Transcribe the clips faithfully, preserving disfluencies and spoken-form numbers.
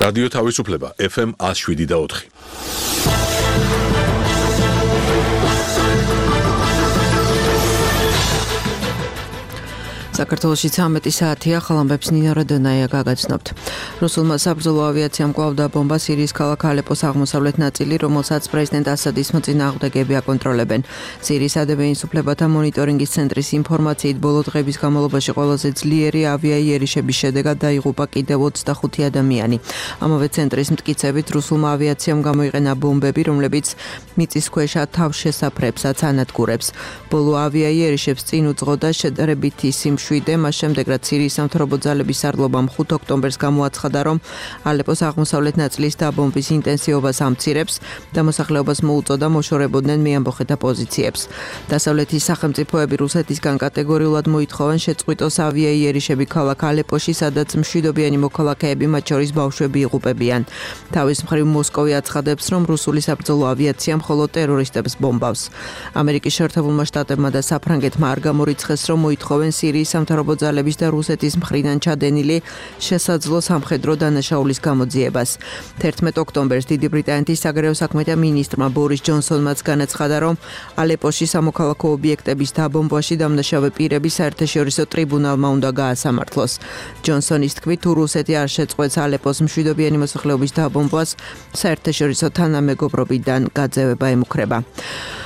რადიო თავისუფლება ეფ ემ one oh seven და four. საქართველოში ცამეტი საათია, ხალამბებს ნინო რადონაია გაგაცნობთ. რუსულმა საბრძოლო ავიაციამ კვლავ დაბომბა სირიის ქალაქ ალეპოს აღმოსავლეთ ნაწილი, რომელსაც პრეზიდენტ ასადის მოწინააღმდეგეები აკონტროლებენ. სირიის ადმინისტრაციის უფლებათა მონიტორინგის ცენტრის ინფორმაციით, ბოლო დღების განმავლობაში ყველაზე ძლიერი ავიაიერიშების შედეგად დაიღუპა კიდევ ოცდახუთი ადამიანი. ამავე ცენტრის მტკიცებით, რუსულმა ავიაციამ გამოიყენა ბომბები, რომლებიც მიწისქვეშა თავშესაფრებსაც ანადგურებს. ბოლო ავიაიერიშებს წინ უძღოდა შედარებითი სიმშვიდე, მას შემდეგ რაც სირიის სამთავრობო ძალების სარდლობამ ხუთი ოქტომბერს გამოაცხადა, რომ ალეპოს აღმოსავლეთ ნაწილის დაბომბვის ინტენსივობას ამცირებს და მოსახლეობას მოუწოდა მოშორებოდნენ მეამბოხეთა პოზიციებს. დასავლეთის სახელმწიფოები რუსეთისგან კატეგორიულად მოითხოვენ შეწყვიტოს ავიაიერიშები ქალაქ ალეპოში, სადაც მშვიდობიანი მოქალაქეები, მათ შორის ბავშვები იღუპებიან. თავის მხრივ მოსკოვი აცხადებს, რომ რუსული საბრძოლო ავიაცია მხოლოდ ტერორისტებს ბომბავს. ამერიკის შეერთებულმა შტატებმა და საფრანგეთმა არ გამორიცხეს, რომ მოითხოვენ სირიის სამთავრობო ძალების და რუსეთის მხრიდან ჩადენილი შესაძლო სამხედრო დანაშაულის გამოძიებას. თერთმეტ ოქტომბერს დიდი ბრიტანეთის საგარეო საქმეთა მინისტრმა ბორის ჯონსონმაც განაცხადა, რომ ალეპოში სამოქალაქო ობიექტების დაბომბვაში დამნაშავე პირები საერთაშორისო ტრიბუნალმა უნდა გაასამართლოს. ჯონსონის თქმით, თუ რუსეთი არ შეწყვეტს ალეპოს მშვიდობიანი მოსახლეობის დაბომბვას, საერთაშორისო თანამეგობრობიდან გაძევება ემუქრება.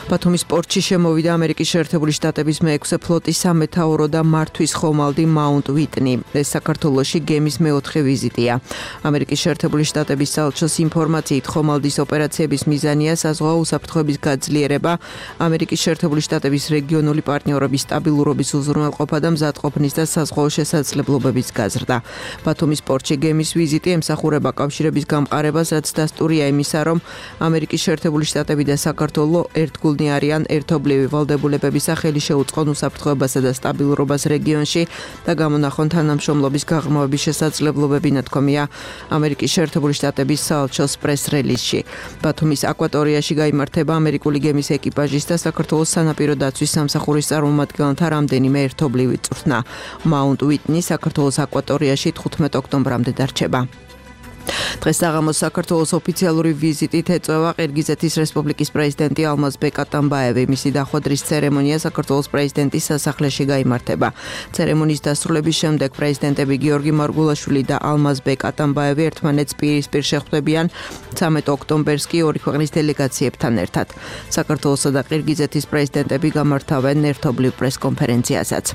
ბათუმის პორტში შემოვიდა ამერიკის შეერთებული შტატების მეექვსე ფლოტის სამეთაურო და მართვის ხომალდი მაუნტ ვიტნი. ეს საქართველოში გემის მეოთხე ვიზიტია. ამერიკის შეერთებული შტატების საელჩოს ინფორმაციით, ხომალდის ოპერაციების მიზანია საზღვაო უსაფრთხოების გაძლიერება, ამერიკის შეერთებული შტატების რეგიონული პარტნიორობის სტაბილურობის უზრუნველყოფა და მზადყოფნის და საზღვაო შესაძლებლობების გაზრდა. ბათუმის პორტში გემის ვიზიტი ემსახურება კავშირების გამყარებას, რაც დასტურია იმისა, რომ ამერიკის შეერთებული შტატები და საქართველო ერთგულნი არიან ერთობლივი ვალდებულებების სახელი შეუწყონ უსაფრთხოებასა და სტაბილურობას რეგიონში და გამონახონ თანამშრომლობის გაღრმავების შესაძლებლობები, ნათქვამია ამერიკის შეერთებული შტატების საელჩოს პრეს-რელიზში. ბათუმის აკვატორიაში გაიმართება ამერიკული გემის ეკიპაჟის და საქართველოს სანაპირო დაცვის სამსახურის წარმომადგენელთა რამდენიმე ერთობლივი წვრთნა. მაუნტ ვიტნი საქართველოს აკვატორიაში თხუთმეტ ოქტომბრამდე დარჩება. დღეს საღამოს საქართველოს ოფიციალური ვიზიტით ეწევა ყირგიზეთის რესპუბლიკის პრეზიდენტი ალმაზბეკ ატამბაევი. მისი დახვედრის ცერემონია საქართველოს პრეზიდენტის სასახლეში გაიმართება. ცერემონიის დასრულების შემდეგ პრეზიდენტები გიორგი მარგულაშვილი და ალმაზბეკ ატამბაევი ერთმანეთს პირისპირ შეხვდებიან. ცამეტ ოქტომბერს კი ორი ქვეყნის დელეგაციებთან ერთად. საქართველოსა და ყირგიზეთის პრეზიდენტები გამართავენ ერთობლივ პრესკონფერენციასაც.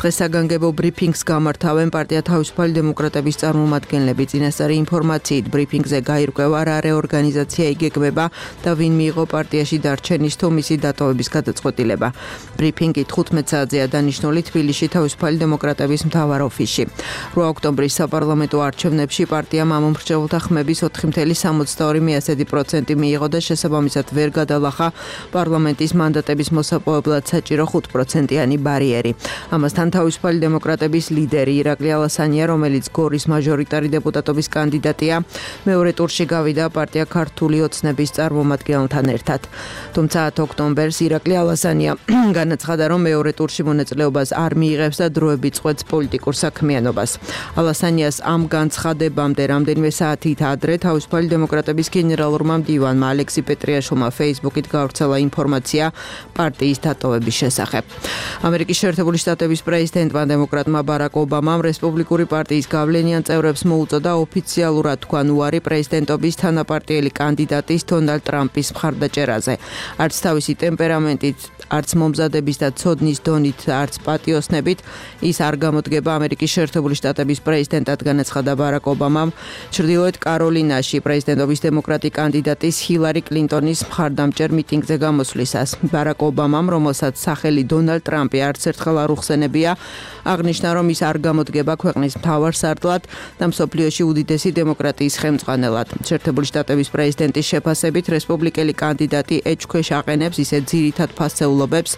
დღეს საგანგებო ბრიფინგს გამართავენ პარტია თავისუფალი დემოკრატების წარმომადგენლები. წინასწარი ინფორმაციით ბრიფინგზე გაირკვევა რა რეორგანიზაცია იგეგმება და ვინ მიიღო პარტიაში დარჩენის თუ მისი დატოვების გადაწყვეტილება. ბრიფინგი თხუთმეტ საათზეა დანიშნული თბილისში თავისუფალი დემოკრატების მთავარ ოფისში. რვა ოქტომბრის საპარლამენტო არჩევნებში პარტიამ ამომრჩეველთა ხმების ოთხი წუთი სამოცდაორი პროცენტი მიიღო და შესაბამისად ვერ გადალახა პარლამენტის მანდატების მოსაპოვებლად საჭირო ხუთ პროცენტიანი ბარიერი. ამასთან თავისუფალი დემოკრატების ლიდერი ირაკლი ალასანია, რომელიც გორის მაჟორიტარი დეპუტატობის კანდიდატია, მეორე ტურში გავიდა პარტია ქართული ოცნების წარმომადგენელთან ერთად. თუმცა ათი ოქტომბერს ირაკლი ალასანია განაცხადა, რომ მეორე ტურში მონაწილეობას არ მიიღებს და დროებით წყვეტს პოლიტიკურ საქმიანობას. ალასანიას ამ განცხადებამდე რამდენიმე საათით ადრე თავისუფალი დემოკრატების გენერალურმა მდივანმა ალექსი პეტრიაშვილმა ფეისბუქით გავრცელა ინფორმაცია პარტიის დატოვების შესახებ. ამერიკის შეერთებული შტატების პრეზიდენტმა დემოკრატმა ბარაკ ობამამ რესპუბლიკური პარტიის გავლენიან წევრებს მოუწოდა ოფიციალურად თქვან უარი პრეზიდენტობის თანაპარტიელი კანდიდატის დონალდ ტრამპის მხარდაჭერაზე. არც თავისი ტემპერამენტით, არც მომზადების და ცოდნის დონით, არც პატიოსნებით ის არ გამოდგება ამერიკის შეერთებული შტატების პრეზიდენტად, განაცხადა ბარაკ ობამამ ჩრდილოეთ კაროლინაში პრეზიდენტობის დემოკრატი კანდიდატის ჰილარი კლინტონის მხარდამჭერ მიტინგზე გამოსვლისას. ბარაკ ობამამ, რომელსაც სახელი დონალდ ტრამპი არც ერთხელ არ უხსენებია, აღნიშნა, რომ ის არ გამოდგება ქვეყნის მთავარ სარდლად და მსოფლიოში უდიდესი დემოკრატიის ხელმძღვანელად. შეერთებული შტატების პრეზიდენტის შეფასებით რესპუბლიკელი კანდიდატი ეჭქვეშ აყენებს ისე ძირითად ფასეულობებს,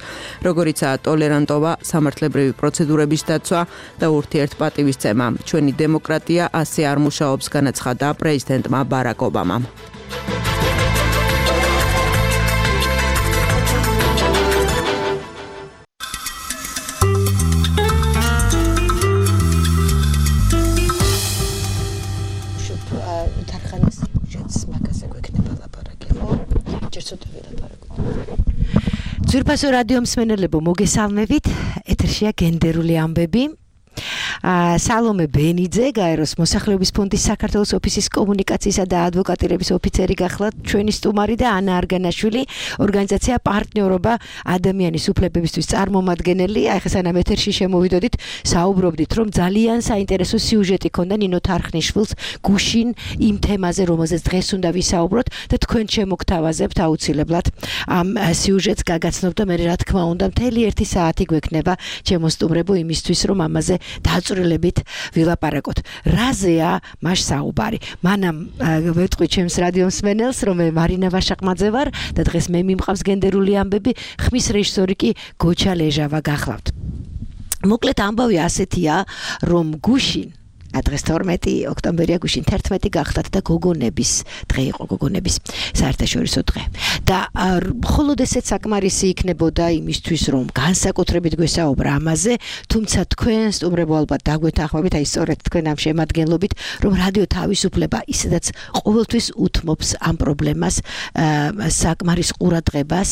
როგორიცაა ტოლერანტობა, სამართლებრივი პროცედურების დაცვა და ურთიერთპატივისცემა. ჩვენი დემოკრატია ასე არ მუშაობს, განაცხადა პრეზიდენტმა ბარაკ ობამამ. ძვირფასო რადიო მსმენელებო, მოგესალმებით. ეთერშია გენდერული ამბები. სალომე ბენიძე, გაეროს მოსახლეობის ფონდის საქართველოს ოფისის კომუნიკაციისა და ადვოკატირების ოფიცერი გახლავთ ჩვენი სტუმარი და ანა არგანაშვილი, ორგანიზაცია პარტნიორობა ადამიანის უფლებებისთვის წარმომადგენელი. აი ხა სანამ ეთერში შემოვიდოდით, საუბრობდით, რომ ძალიან საინტერესო სიუჟეტი ქონდა ნინო თარხნიშვილს გუშინ იმ თემაზე, რომელზეც დღეს უნდა ვისაუბროთ და თქვენ შემოგთავაზებთ აუცილებლად ამ სიუჟეტს გაგაცნობ და მე რა თქმა უნდა მთელი ერთი საათი გვექნება ჩემო სტუმრებო იმისთვის, რომ ამაზე დაწვრილებით ვილაპარაკოთ. რაზეა მას საუბარი? მანამ ვეთყვი ჩემს რადიო მსმენელს, რომ მე მარინა ვაშაყმაძე ვარ და დღეს მე მიმყავს გენდერული ამბები, ხმის რეჟისორი კი გოჩა ლეჟავა გახლავთ. მოკლედ ამბავი ასეთია, რომ გუშინ დღეს თორმეტი ოქტომბერია, გუშინ თერთმეტი გახდათ და გოგონების დღე იყო, გოგონების საერთაშორისო დღე. და მხოლოდ ესეც საკმარისი იქნებოდა იმისთვის, რომ განსაკუთრებით გვესაუბრა ამაზე, თუმცა თქვენ სტუმრებო ალბათ დაგვეთანხმებით, აი სწორედ თქვენ ამ შემადგენლობით, რომ რადიო თავისუფლება ისედაც ყოველთვის უთმობს ამ პრობლემას, საკმარის ყურადღებას,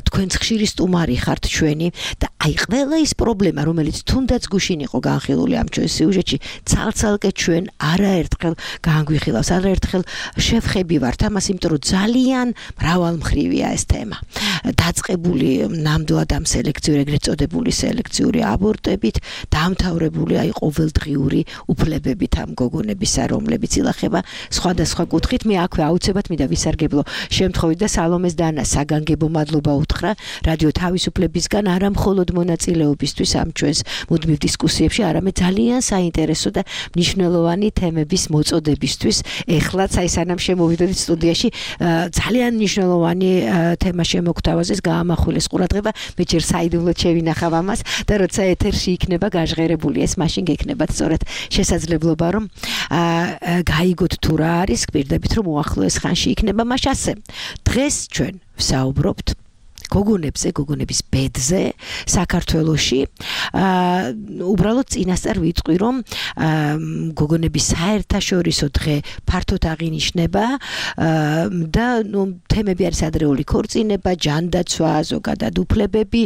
თქვენც ხშირი სტუმარი ხართ ჩვენი და აი ყველა ის პრობლემა, რომელიც თუნდაც გუშინ იყო განხილული ამ ჩვენ სიუჟეტში, ცალცალკე ჩვენ არაერთხელ განგვიხილავს, არაერთხელ შევხები ვართ ამას, იმიტომ რომ ძალიან მრავალმხრივია ეს თემა. დაწყებული ნამდვილად ამ სელექციური, ეგრეთ წოდებული სელექციური აბორტებით, დამთავრებული აი ყოველდღიური უფლებებით ამ გოგონებისა, რომლებიც ილახება სხვადასხვა კუთხით. მე აქვე აუცილებლად მინდა ვისარგებლო შემთხვევით და სალომეს და ანას საგანგებო მადლობა უთხრა რადიო თავისუფლებისგან, არა მხოლოდ მონაწილეობისთვის ამ ჩვენს მუდმივ დისკუსიებში, არამედ ძალიან საინტერესო და მნიშვნელოვანი თემების მოწოდებისთვის. ეხლაც აი სანამ შემოვიდოდით სტუდიაში, ძალიან მნიშვნელოვანი თემა შემოგთავაზეს, გაამახვილეს ყურადღება, მე ჯერ საიდუმლოდ შევინახავ ამას და როცა ეთერში იქნება გაჟღერებული ეს, მაშინ გექნებათ სწორედ შესაძლებლობა, რომ გაიგოთ თუ რა არის, გვირდებით რომ უახლოეს ხანში იქნება მას ასე. დღეს ჩვენ ვსაუბრობთ გოგონებზე, გოგონების ბედზე საქართველოში. უბრალოდ წინასწარ ვიტყვი, რომ გოგონების საერთაშორისო დღე ფართოდ აღინიშნება და ნუ თემები არის ადრეული ქორწინება, ჯანდაცვა, ზოგადად უფლებები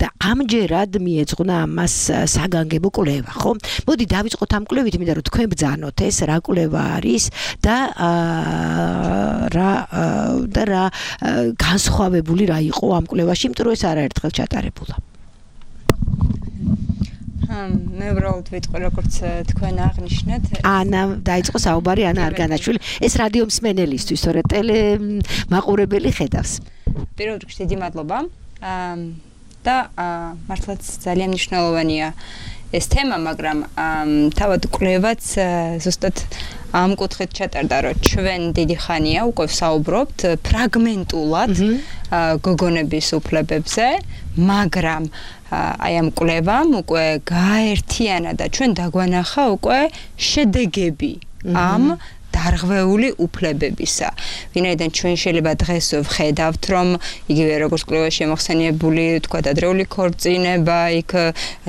და ამჯერად მიეძღვნა ამას საგანგებო კვლევა, ხო? მოდი დავიწყოთ ამ კვლევით, მინდა რომ თქვენ ბრძანოთ ეს რა კვლევა არის და რა და რა განსხვავებული რა იყო ამ კვლევაში, იმიტომ რომ ეს არაერთხელ ჩატარებულა. მე უბრალოდ ვიტყვი, როგორც თქვენ აღნიშნეთ. ანა დაიწყო საუბარი, ანა არგანაშვილი. ეს რადიო მსმენელისთვის, თორე ტელე მაყურებელი ხედავს. პირველ რიგში დიდი მადლობა. და მართლაც ძალიან მნიშვნელოვანია ეს თემა, მაგრამ თავად კვლევაც ზუსტად ამ კუთხით ჩატარდა, რომ ჩვენ დიდი ხანია უკვე ვსაუბრობთ ფრაგმენტულად გოგონების უფლებებზე, მაგრამ აი ამ კვლევამ უკვე გააერთიანა და ჩვენ დაგვანახა უკვე შედეგები ამ დარღვეული უფლებებისა. ვინაიდან ჩვენ შეიძლება დღეს ვხედავთ, რომ იგივე როგორც კვლევაში მოხსენიებული, თქვა ადრეული ქორწინება, იქ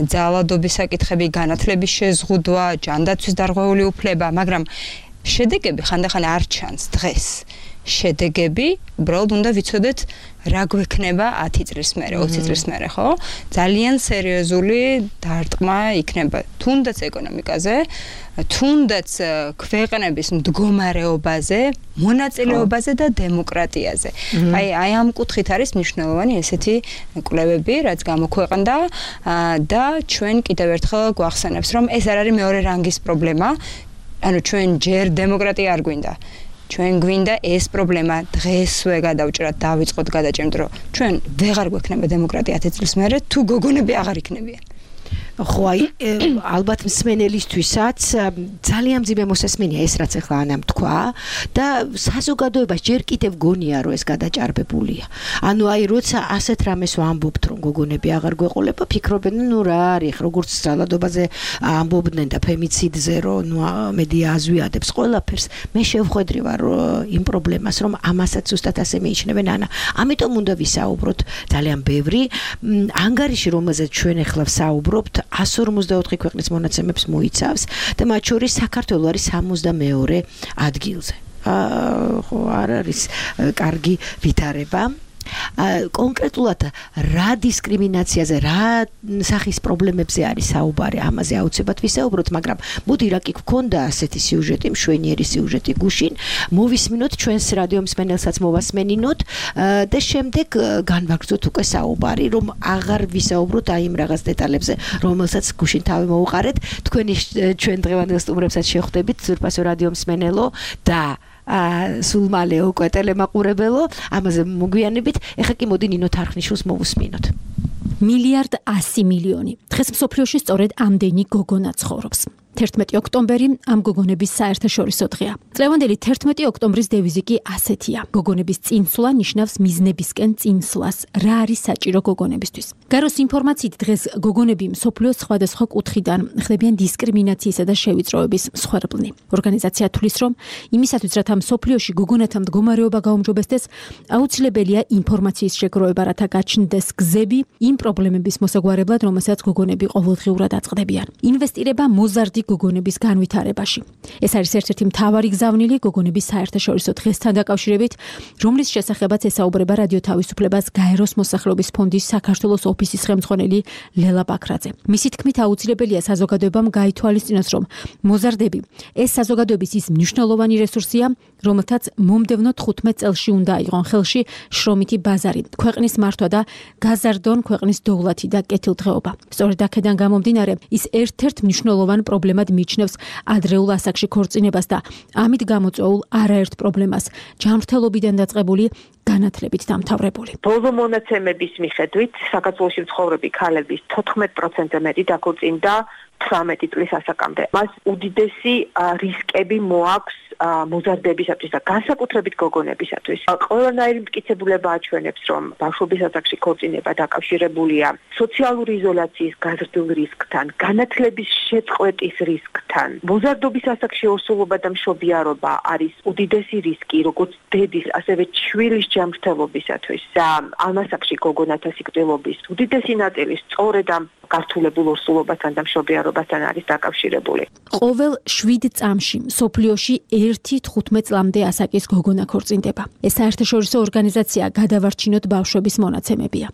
ძალადობის საკითხები, განათლების შეზღუდვა, ჯანდაცვის დარღვეული უფლება, მაგრამ შედეგები ხანდახან არ ჩანს დღეს. შედეგები, უბრალოდ უნდა ვიცოდეთ რა გვექნება ათი წლის მერე, ოცი წლის მერე, ხო? ძალიან სერიოზული დარტყმა იქნება თუნდაც ეკონომიკაზე, თუნდაც ქვეყნების მდგომარეობაზე, მონაწილეობაზე და დემოკრატიაზე. აი, აი ამ კუთხით არის მნიშვნელოვანი ესეთი კვლევები, რაც გამოქვეყნდა და ჩვენ კიდევ ერთხელ გვახსენებს, რომ ეს არ არის მეორე რანგის პრობლემა, ანუ ჩვენ ჯერ დემოკრატია არ გვინდა. ჩვენ გვინდა ეს პრობლემა დღესვე გადავჭრათ, დავიწყოთ გადაჭერით, რომ ჩვენ ვეღარ გვექნება დემოკრატია ათი წლის მერე, თუ გოგონები აღარ იქნებიან. ხო, აი ალბათ მსმენელისთვისაც ძალიან მძიმე მოსასმენია ეს, რაც ახლა ანამ თქვა და საზოგადოებას ჯერ კიდევ გონია, რომ ეს გადაჭარბებულია. ანუ აი როცა ასეთ რამეს ვამბობთ, რომ გოგონები აღარ გვეყოლება, ფიქრობენ, ნუ რა არის, როგორც ძალადობაზე ამბობდნენ და ფემიციდზე, რომ ნუ მედია აზვიადებს ყველაფერს. მე შევხვედრი ვარ იმ პრობლემას, რომ ამასაც ზუსტად ასე მიიჩნევენ ანა. ამიტომ უნდა ვისაუბროთ ძალიან ბევრი ანგარიში, რომელზეც ჩვენ ახლა ვსაუბრობთ, εκατს ორმოცდაოთხი ქვეყნის მონაცემებს მოიცავს და მათ შორის საქართველო არის სამოცდამეორე ადგილზე. ხო, არ არის კარგი ვითარება. კონკრეტულად რა დისკრიმინაციაზე, რა სახის პრობლემებზე არის საუბარი, ამაზე აუცილებლად ვისაუბროთ, მაგრამ მოდი რა კი გქონდა ასეთი სიუჟეტი, მშვენიერი სიუჟეტი გუშინ, მოვისმინოთ ჩვენს რადიო მსმენელსაც მოვასმენინოთ და შემდეგ განვაგრძოთ უკვე საუბარი, რომ აღარ ვისაუბროთ აი იმ რაღაც დეტალებზე, რომელსაც გუშინ თავი მოუყარეთ, თქვენი ჩვენ დღევანდელ სტუმრებსაც შეხვდებით, ძვირფასო რადიო მსმენელო და სულ მალე უკვე ტელემაყურებელო, ამაზე მოგვიანებით, ეხლა კი მოდი ნინო თარხნიშვილს მოვუსმინოთ. მილიარდ ასი მილიონი. დღეს მსოფლიოში სწორედ ამდენი გოგონა ცხოვრობს. თერთმეტი ოქტომბერი ამ გოგონების საერთაშორისო დღეა. წლევანდელი თერთმეტი ოქტომბრის დევიზი კი ასეთია. გოგონების წინსვლა ნიშნავს მიზნებისკენ წინსვლას. რა არის საჭირო გოგონებისთვის? გაროს ინფორმაციით დღეს გოგონები მსოფლიოს სხვადასხვა კუთხიდან ხდებიან დისკრიმინაციისა და შევიწროების მსხვერპლნი. ორგანიზაცია თვლის, რომ იმისათვის, რათა მსოფლიოში გოგონათა მდგომარეობა გაუმჯობესდეს, აუცილებელია ინფორმაციის შეგროვება, რათა გაჩნდეს გზები იმ პრობლემების მოსაგვარებლად, რომელსაც გოგონები ყოველდღიურად აწყდებიან. ინვესტირება მოზარდი გოგონების განვითარებაში. ეს არის ერთ-ერთი მთავარი გზავნილი გოგონების საერთაშორისო დღესთან დაკავშირებით, რომლის შესახებაც ესაუბრება რადიო თავისუფლებას გაეროს მოსახლეობის ფონდის საქართველოს ოფისის ხელმძღვანელი ლელა ბაქრაძე. მისი თქმით, აუცილებელია საზოგადოებამ გაითვალისწინოს, რომ მოზარდები ეს საზოგადოების ის მნიშვნელოვანი რესურსია, რომელთაც მომდევნო თხუთმეტ წელში უნდა აიღონ ხელში შრომითი ბაზარი, ქვეყნის მართვა და გაზარდონ ქვეყნის დოვლათი და კეთილდღეობა. სწორედ აქედან გამომდინარე, ის ერთ-ერთ მნიშვნელოვან პრობლემას მიჩნევს ადრეულ ასაკში ქორწინებას და ამით გამოწვეულ არაერთ პრობლემას, ჯანმრთელობიდან დაწყებული განათლებით დამთავრებული. ბოლო მონაცემების მიხედვით, საქართველოში მცხოვრები ქალების თოთხმეტ პროცენტზე მეტი დაქორწინდა თვრამეტი წლის ასაკამდე. მას უდიდესი რისკები მოაქვს მოზარდებისათვის და განსაკუთრებით გოგონებისათვის. ყველანაირი მტკიცებულება აჩვენებს, რომ ბავშვობის ასაკში ქორწინება დაკავშირებულია სოციალური იზოლაციის გაზრდილ რისკთან, განათლების შეწყვეტის რისკთან. მოზარდობის ასაკში ორსულობა და მშობიარობა არის უდიდესი რისკი, როგორც დედის, ასევე შვილის ჯანმრთელობისათვის. და ამ ასაკში გოგონათა სიკვდილობის უდიდესი ნაწილი სწორედ ამ გართულებულ ორსულობასთან და მშობიარობასთან არის დაკავშირებული. ყოველ შვიდ წამში მსოფლიოში ერთი თხუთმეტ წლამდე ასაკის გოგონა ქორწინდება. ეს საერთაშორისო ორგანიზაცია გადავარჩინოთ ბავშვების მონაცემებია.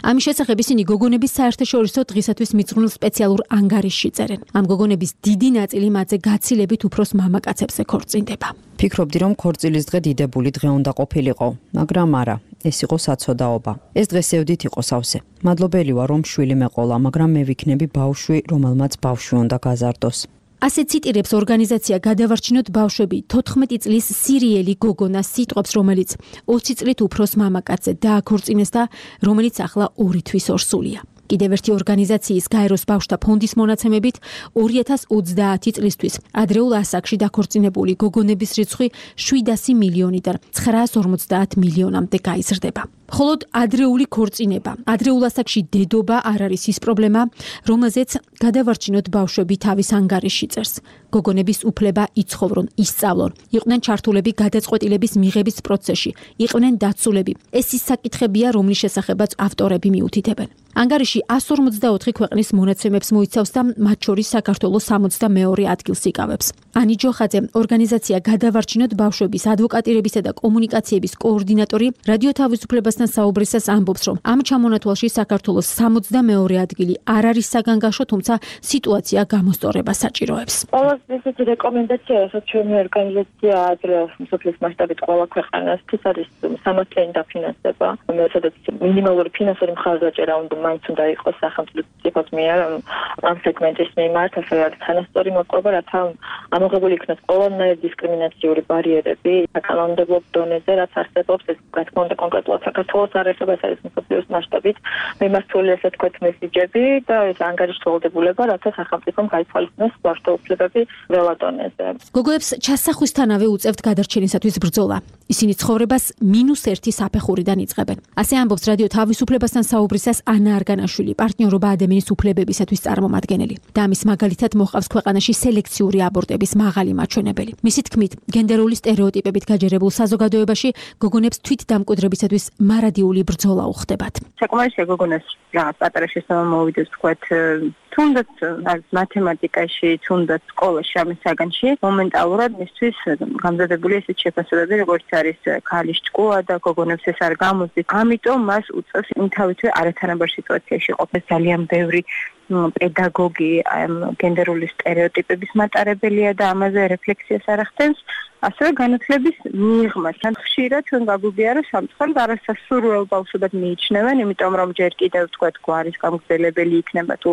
ამის შესახებ ისინი გოგონების საერთაშორისო დღისათვის მიძღვნილ სპეციალურ ანგარიშში წერენ. ამ გოგონების დიდი ნაწილი მათზე გაცილებით უფროს მამაკაცებზე ქორწინდება. ფიქრობდი, რომ ქორწილის დღე დიდებული დღე უნდა ყოფილიყო, მაგრამ არა, ეს იყო საცოდაობა. ეს დღე სევდით იყო სავსე. მადლობელი ვარ, რომ შვილი მეყოლა, მაგრამ მე ვიქნები ბავშვი, რომელმაც ბავშვი უნდა გაზარდოს. ასე ციტირებს ორგანიზაცია გადავარჩინოთ ბავშვები თოთხმეტი წლის სირიელი გოგონა სიტყვებს, რომელიც ოცი წლით უფროს მამაკაცზე დააქორწინეს და რომელიც ახლა ორი თვის ორსულია. კიდევ ერთი ორგანიზაციის გაეროს ბავშვთა ფონდის მონაცემებით ორი ათას ოცდაათი წლისთვის ადრეულ ასაკში დაქორწინებული გოგონების რიცხვი შვიდასი მილიონიდან ცხრაას ორმოცდაათ მილიონამდე გაიზრდება. მხოლოდ ადრეული ქორწინება, ადრეულ ასაკში დედობა არ არის ის პრობლემა, რომელზეც გადავარჩინოთ ბავშვები თავის ანგარიშში წერს. გოგონების უფლება იცხოვრონ, ისწავლონ, იყვნენ ჩართულები გადაწყვეტილების მიღების პროცესში, იყვნენ დაცულები. ეს ის საკითხებია, რომლის შესახებაც ავტორები მიუთითებენ. ანგარიში ას ორმოცდაოთხი ქვეყნის მონაცემებს მოიცავს და მათ შორის საქართველოს სამოცდამეორე ადგილს იკავებს. ანი ჯოხაძე, ორგანიზაცია გადავარჩინოთ ბავშვების ადვოკატირებისა და კომუნიკაციების კოორდინატორი, რადიო თავისუფლებასთან საუბრისას ამბობს, რომ ამ ჩამონათვალში საქართველოს სამოცდამეორე ადგილი არ არის საგანგაშო, თუმცა სიტუაცია გამოსწორებას საჭიროებს. ყველაზე ესეთი რეკომენდაცია, რასაც ჩვენი ორგანიზაცია ადრე მსოფლიოს მასშტაბით ყველა ქვეყანას ის არის სამართლიანი დაფინანსება, სადაც მინიმალური ფინანსური მხარდაჭერა უნდა მაინც უნდა იყოს სახელმწიფოს მიერ ამ სეგმენტის მიმართ, ასე არის თანასწორი მოპყრობა, რათა ამოღებული იქნას ყველანაირი დისკრიმინაციული ბარიერები საკანონმდებლო დონეზე, რაც არსებობს, ეს რა თქმა უნდა კონკრეტულად საქართველოს არ ეხება, ეს არის მსოფლიოს მასშტაბით მიმართული, ასე თქვით, მესიჯები და ეს ანგარიშვალდებულება, რათა სახელმწიფომ გაითვალისწინოს ბავშვთა უფლებები ყველა დონეზე. გოგოებს ჩასახვისთანავე უწევთ გადარჩენისათვის ბრძოლა. ისინი ცხოვრებას მინუს ერთი საფეხურიდან იწყებენ. ასე ამბობს რადიო თავისუფლებასთან საუბრისას ანა ანა არგანაშვილი, პარტნიორობა ადამიანის უფლებებისათვის წარმომადგენელი და ამის მაგალითად მოყავს ქვეყანაში სელექციური აბორტების მაღალი მაჩვენებელი. მისი თქმით, გენდერული სტერეოტიპებით გაჯერებულ საზოგადოებაში გოგონებს თვითდამკვიდრებისათვის მარადიული ბრძოლა უხდებათ. საკმარისია გოგონას რაღაც პატარა შესაძლოა მოვიდეს თქვათ თუნდაც მათემატიკაში, თუნდაც სკოლაში, ამის საგანში მომენტალურად მისთვის გამზადებული ესეთ შეფასებები, როგორც არის ქალის ჭკუა და გოგონებს ეს არ გამოსდის. ამიტომ მას უწევს იმთავითვე არათანაბარ სიტუაციაში ყოფნა. ძალიან ბევრი პედაგოგი გენდერული სტერეოტიპების მატარებელია და ამაზე რეფლექსიას არ ახდენს. ასევე განათლების მიღმა. თან ხშირად ჩვენ გაგვიგია, რომ სამწუხაროდ არასასურველ ბავშვებად მიიჩნევენ, იმიტომ რომ ჯერ კიდევ თქვათ გვარის გამგზელებელი იქნება თუ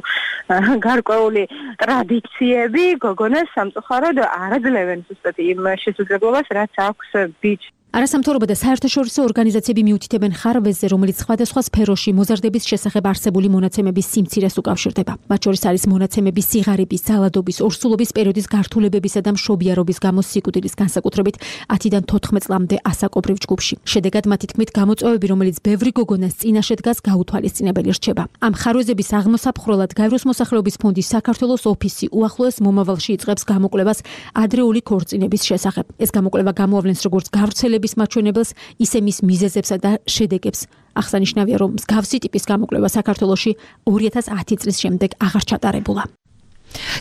გარკვეული ტრადიციები გოგონას სამწუხაროდ არ აძლევენ ზუსტად იმ შესაძლებლობას, რაც აქვს ბიჭს. არასამთავრობო და საერთაშორისო ორგანიზაციები მიუთითებენ ხარვეზზე, რომელიც სხვადასხვა სფეროში მოზარდების შესახებ არსებული მონაცემების სიმცირეს უკავშირდება. მათ შორის არის მონაცემები სიღარიბის, ძალადობის, ორსულობის პერიოდის გართულებებისა და მშობიარობის გამო სიკვდილის, განსაკუთრებით ათიდან თოთხმეტ წლამდე ასაკობრივ ჯგუფში. შედეგად მათი თქმით, გამოწვევები, რომელიც ბევრი გოგონას წინაშე დგას, გაუთვალისწინებელი რჩება. ამ ხარვეზების აღმოსაფხროლად გაეროს მოსახლეობის ფონდის საქართველოს ოფისი უახლოეს მომავალში იწყებს გამოკვლევას ადრეული ქორწინების შესახებ. ეს გამოკვლევა გამოავლენს როგორც გავრცელების მაჩვენებელს, ისე მის მიზეზებსა და შედეგებს. აღსანიშნავია, რომ მსგავსი ტიპის გამოკვლევა საქართველოში ორი ათას ათი წლის შემდეგ აღარ ჩატარებულა.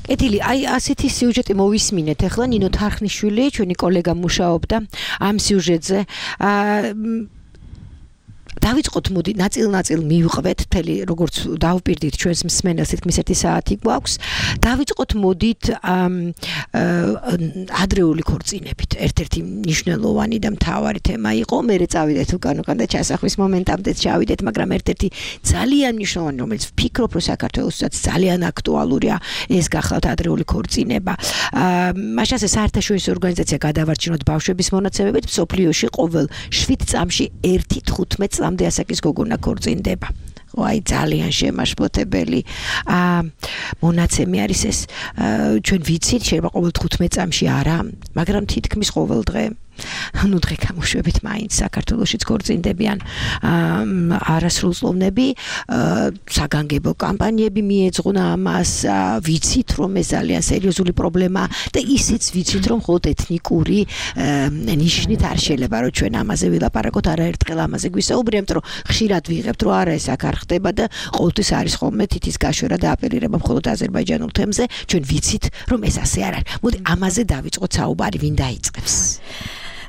კეთილი, აი ასეთი სიუჟეტი მოვისმინეთ. ახლა ნინო თარხნიშვილი, ჩვენი კოლეგა მუშაობდა ამ სიუჟეტზე. დავიწყოთ, მოდი, ნაწილ-ნაწილ მივყვეთ, თელი როგორც დავპირდით ჩვენს მსმენელს, თითქმის ერთი საათი გვაქვს. დავიწყოთ, მოდით ადრეული ქორწინებით. ერთ-ერთი მნიშვნელოვანი და მთავარი თემა იყო. მერე წავიდეთ უკან-უკან და ჩასახვის მომენტამდე ჩავიდეთ, მაგრამ ერთ-ერთი ძალიან მნიშვნელოვანი, რომელიც ვფიქრობ, რომ საქართველოსაც ძალიან აქტუალურია, ეს გახლავთ ადრეული ქორწინება. მაშასე საერთაშორისო ორგანიზაცია გადავარჩინოთ ბავშვების მონაცემებით, მსოფლიოში ყოველ შვიდ წამში ერთი თხუთმეტ წლამდე ასაკის გოგონა ქორწინდება. აი ძალიან შემაშფოთებელი მონაცემი არის ეს. ჩვენ ვიცით, შეიძლება ყოველ თხუთმეტ წამში არა, მაგრამ თითქმის ყოველ დღე. ну დღე გამოშვებით მაინც საქართველოშიც ქორწინდებიან არასრულწლოვნები, საგანგებო კამპანიები მიეძღვნა ამას, ვიცით რომ ეს ძალიან სერიოზული პრობლემაა და ისიც ვიცით რომ მხოლოდ ეთნიკური ნიშნით არ შეიძლება რომ ჩვენ ამაზე ვილაპარაკოთ, არაერთხელ ამაზე გვისაუბრებთ, რომ ხშირად ვიღებთ რომ არა ეს აქ არ ხდება და ყოველთვის არის ხოლმე თითის გაშვერა და აპელირება მხოლოდ აზერბაიჯანულ თემზე, ჩვენ ვიცით რომ ეს ასე არ არის. მოდი ამაზე დავიწყოთ საუბარი, ვინ დაიწყებს?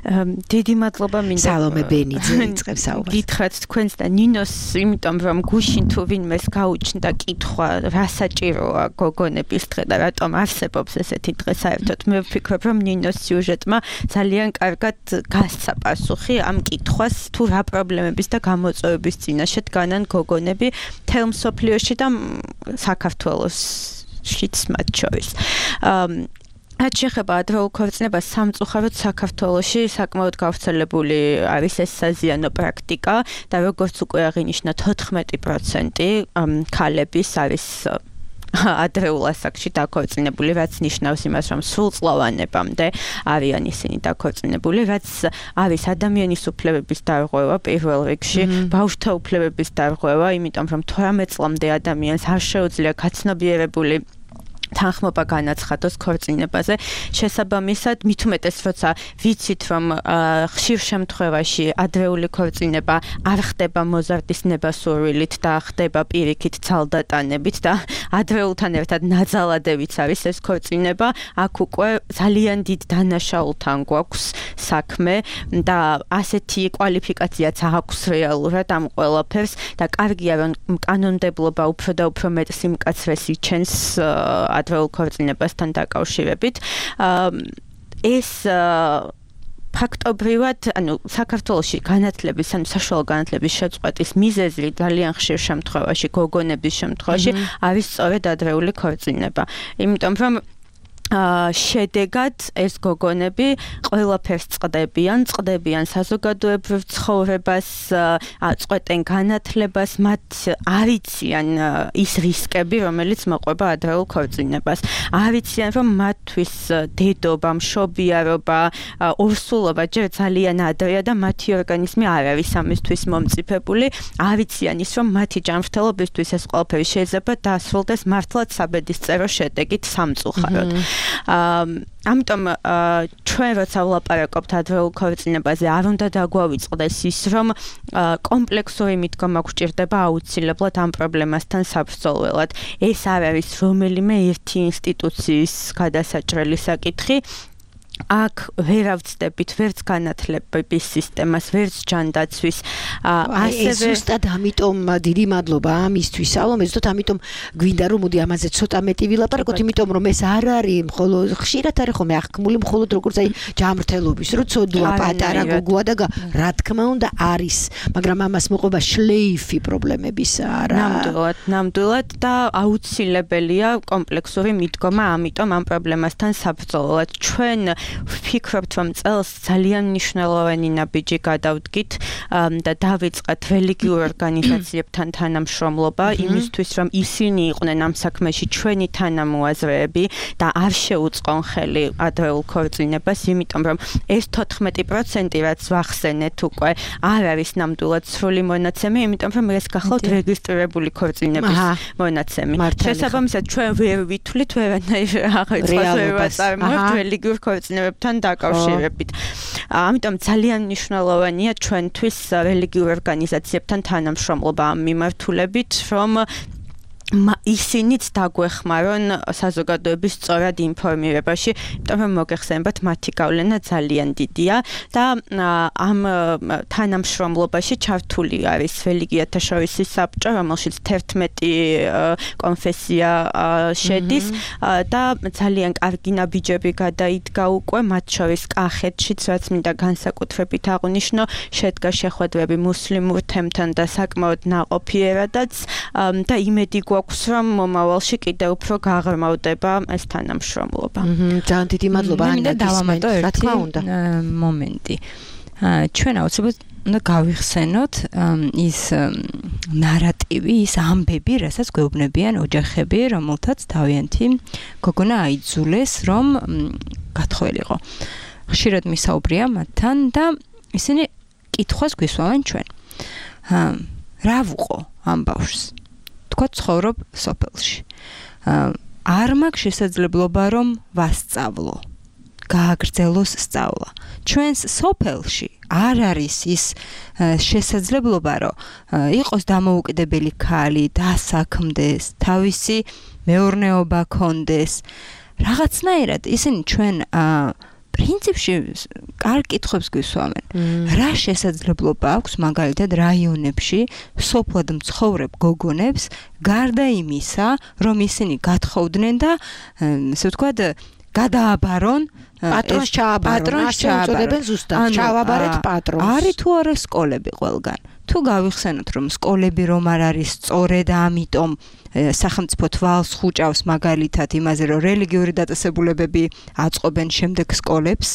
დიდი მადლობა მინდა სალომე ბენიძე იწყებს საუბარს. გითხრათ თქვენს და ნინოს, იმიტომ რომ გუშინ თუ ვინმეს გაუჩნდა კითხვა, რა საჭიროა გოგონების დღე და რატომ არსებობს ესეთი დღე საერთოდ, მე ვფიქრობ, რომ ნინოს სიუჟეტმა ძალიან კარგად გასცა პასუხი ამ კითხვას, თუ რა პრობლემების და გამოწვევების წინაშე დგანან გოგონები მთელ მსოფლიოში და საქართველოშიც მათ შორის. რაც შეეხება ადრეულ ქორწინებას, სამწუხაროდ საქართველოში საკმაოდ გავრცელებული არის ეს საზიანო პრაქტიკა და როგორც უკვე აღინიშნა, თოთხმეტი პროცენტი ქალების არის ადრეულ ასაკში დაქორწინებული, რაც ნიშნავს იმას, რომ სრულწლოვანებამდე არიან ისინი დაქორწინებული, რაც არის ადამიანის უფლებების დარღვევა პირველ რიგში, ბავშვთა უფლებების დარღვევა, იმიტომ რომ თვრამეტ წლამდე ადამიანს არ შეუძლია გაცნობიერებული თანხმობა განაცხადოს ქორწინებაზე. შესაბამისად, მით უმეტეს, როცა ვიცით, რომ ხშირ შემთხვევაში ადრეული ქორწინება არ ხდება მოზარდის ნებასურვილით და ხდება პირიქით ცალდატანებით და ადრეულთან ერთად ნაძალადებიც არის ეს ქორწინება, აქ უკვე ძალიან დიდ დანაშაულთან გვაქვს საქმე და ასეთი კვალიფიკაციაც აქვს რეალურად ამ ყველაფერს და კარგია, რომ კანონმდებლობა უფრო და უფრო მეტ სიმკაცრეს იჩენს ადრეულ ქორწინებასთან დაკავშირებით. ეს ფაქტობრივად, ანუ საქართველოში განათლების, ანუ საშუალო განათლების შეწყვეტის მიზეზი ძალიან ხშირ შემთხვევაში, გოგონების შემთხვევაში არის სწორედ ადრეული ქორწინება. იმიტომ რომ შედეგად ეს გოგონები ყველაფერს წყდებიან, წყდებიან საზოგადოებრივ ცხოვრებას, წყვეტენ განათლებას, მათ არიციან ის რისკები, რომელიც მოყვება ადრეულ ქორწინებას. არიციან, რომ მათთვის დედობა, მშობიარობა, ორსულობა ჯერ ძალიან ადრეა და მათი ორგანიზმი არ არის ამისთვის მომწიფებული. არიციან ის, რომ მათი ჯანმრთელობისთვის ეს ყველაფერი შეიძლება დასრულდეს მართლაც საბედისწერო შედეგით სამწუხაროდ. ამიტომ ჩვენ როცა ვლაპარაკობთ ადრეულ ქორწინებაზე, არ უნდა დაგვავიწყდეს ის, რომ კომპლექსური მიდგომა გვჭირდება აუცილებლად ამ პრობლემასთან საბრძოლველად. ეს არ არის რომელიმე ერთი ინსტიტუციის გადასაჭრელი საკითხი. აქ ვერ ავწდებით ვერც განათლების სისტემას, ვერც ჯანდაცვის. ასევე ზუსტად ამიტომ დიდი მადლობა ამისთვის, სალომე, ზუსტად ამიტომ გვინდა რომ მოდი ამაზე ცოტა მეტი ვილაპარაკოთ, იმიტომ რომ ეს არ არის მხოლოდ ხშირად არის ხოლმე აღქმული მხოლოდ როგორც აი ჯანმრთელობის, რომ ცოდვა პატარა გოგოა და რა თქმა უნდა არის, მაგრამ ამას მოყვება შლეიფი პრობლემების არა. ნამდვილად, ნამდვილად და აუცილებელია კომპლექსური მიდგომა, ამიტომ ამ პრობლემასთან საბრძოლველად ჩვენ ვფიქრობთ, რომ წელს ძალიან მნიშვნელოვანი ნაბიჯი გადავდგით და დავიწყეთ რელიგიურ ორგანიზაციებთან თანამშრომლობა იმისთვის, რომ ისინი იყვნენ ამ საქმეში ჩვენი თანამოაზრეები და არ შეუწყონ ხელი ადრეულ ქორწინებას, იმიტომ რომ ეს თოთხმეტი პროცენტი რაც ვახსენეთ უკვე არ არის ნამდვილად სრული მონაცემი, იმიტომ რომ ეს გახლავთ რეგისტრირებული ქორწინების მონაცემი. შესაბამისად, ჩვენ ვერ ვითვლით ვერანაირ აღწერას ვერ ვაწარმოებთ რელიგიურ ქორწინებებთან დაკავშირებით. ამიტომ ძალიან მნიშვნელოვანია ჩვენთვის რელიგიურ ორგანიზაციებთან თანამშრომლობა ამ მიმართულებით, რომ ისინიც დაგვეხმარონ საზოგადოების სწორად ინფორმირებაში, იმიტომ რომ მოგეხსენებათ მათი გავლენა ძალიან დიდია და ამ თანამშრომლობაში ჩართული არის რელიგიათა შორისი საბჭო, რომელშიც თერთმეტი კონფესია შედის და ძალიან კარგი ნაბიჯები გადაიდგა უკვე, მათ შორის კახეთშიც, რაც მინდა განსაკუთრებით აღვნიშნო, შედგა შეხვედრები მუსლიმურ თემთან და საკმაოდ ნაყოფიერადაც და იმედი გვაქვს რომ მომავალში კიდევ უფრო გაღრმავდება ეს თანამშრომლობა. ძალიან დიდი მადლობა ანა, დავამატო ერთი მომენტი. ჩვენ აუცილებლად უნდა გავიხსენოთ ის ნარატივი, ის ამბები, რასაც გვეუბნებიან ოჯახები, რომელთაც თავიანთი გოგონა აიძულეს, რომ გათხოვილიყო. ხშირად მისაუბრია მათთან და ისინი კითხვას გვისვამენ ჩვენ. რა ვუყო ამ ბავშვს? თქვა ცხოვრობ სოფელში. არ მაქვს შესაძლებლობა რომ ვასწავლო. გააგრძელოს სწავლა. ჩვენს სოფელში არ არის ის შესაძლებლობა რომ იყოს დამოუკიდებელი ქალი, დასაქმდეს, თავისი მეურნეობა ქონდეს. რაღაცნაირად ისინი ჩვენ პრინციპში კარგ კითხვებს გვისვამენ. რა შესაძლებლობა აქვს მაგალითად რაიონებში სოფლად მცხოვრებ გოგონებს გარდა იმისა, რომ ისინი გათხოვდნენ და ესე ვთქვათ გადააბარონ პატრონს ჩააბარონ, ასე უწოდებენ ზუსტად, ჩავაბარეთ პატრონს. არის თუ არა სკოლები ყველგან? თუ გავიხსენოთ რომ სკოლები რომ არ არის სწორედ ამიტომ სახელმწიფო თვალს ხუჭავს მაგალითად იმაზე რომ რელიგიური დაწესებულებები აწყობენ შემდეგ სკოლებს,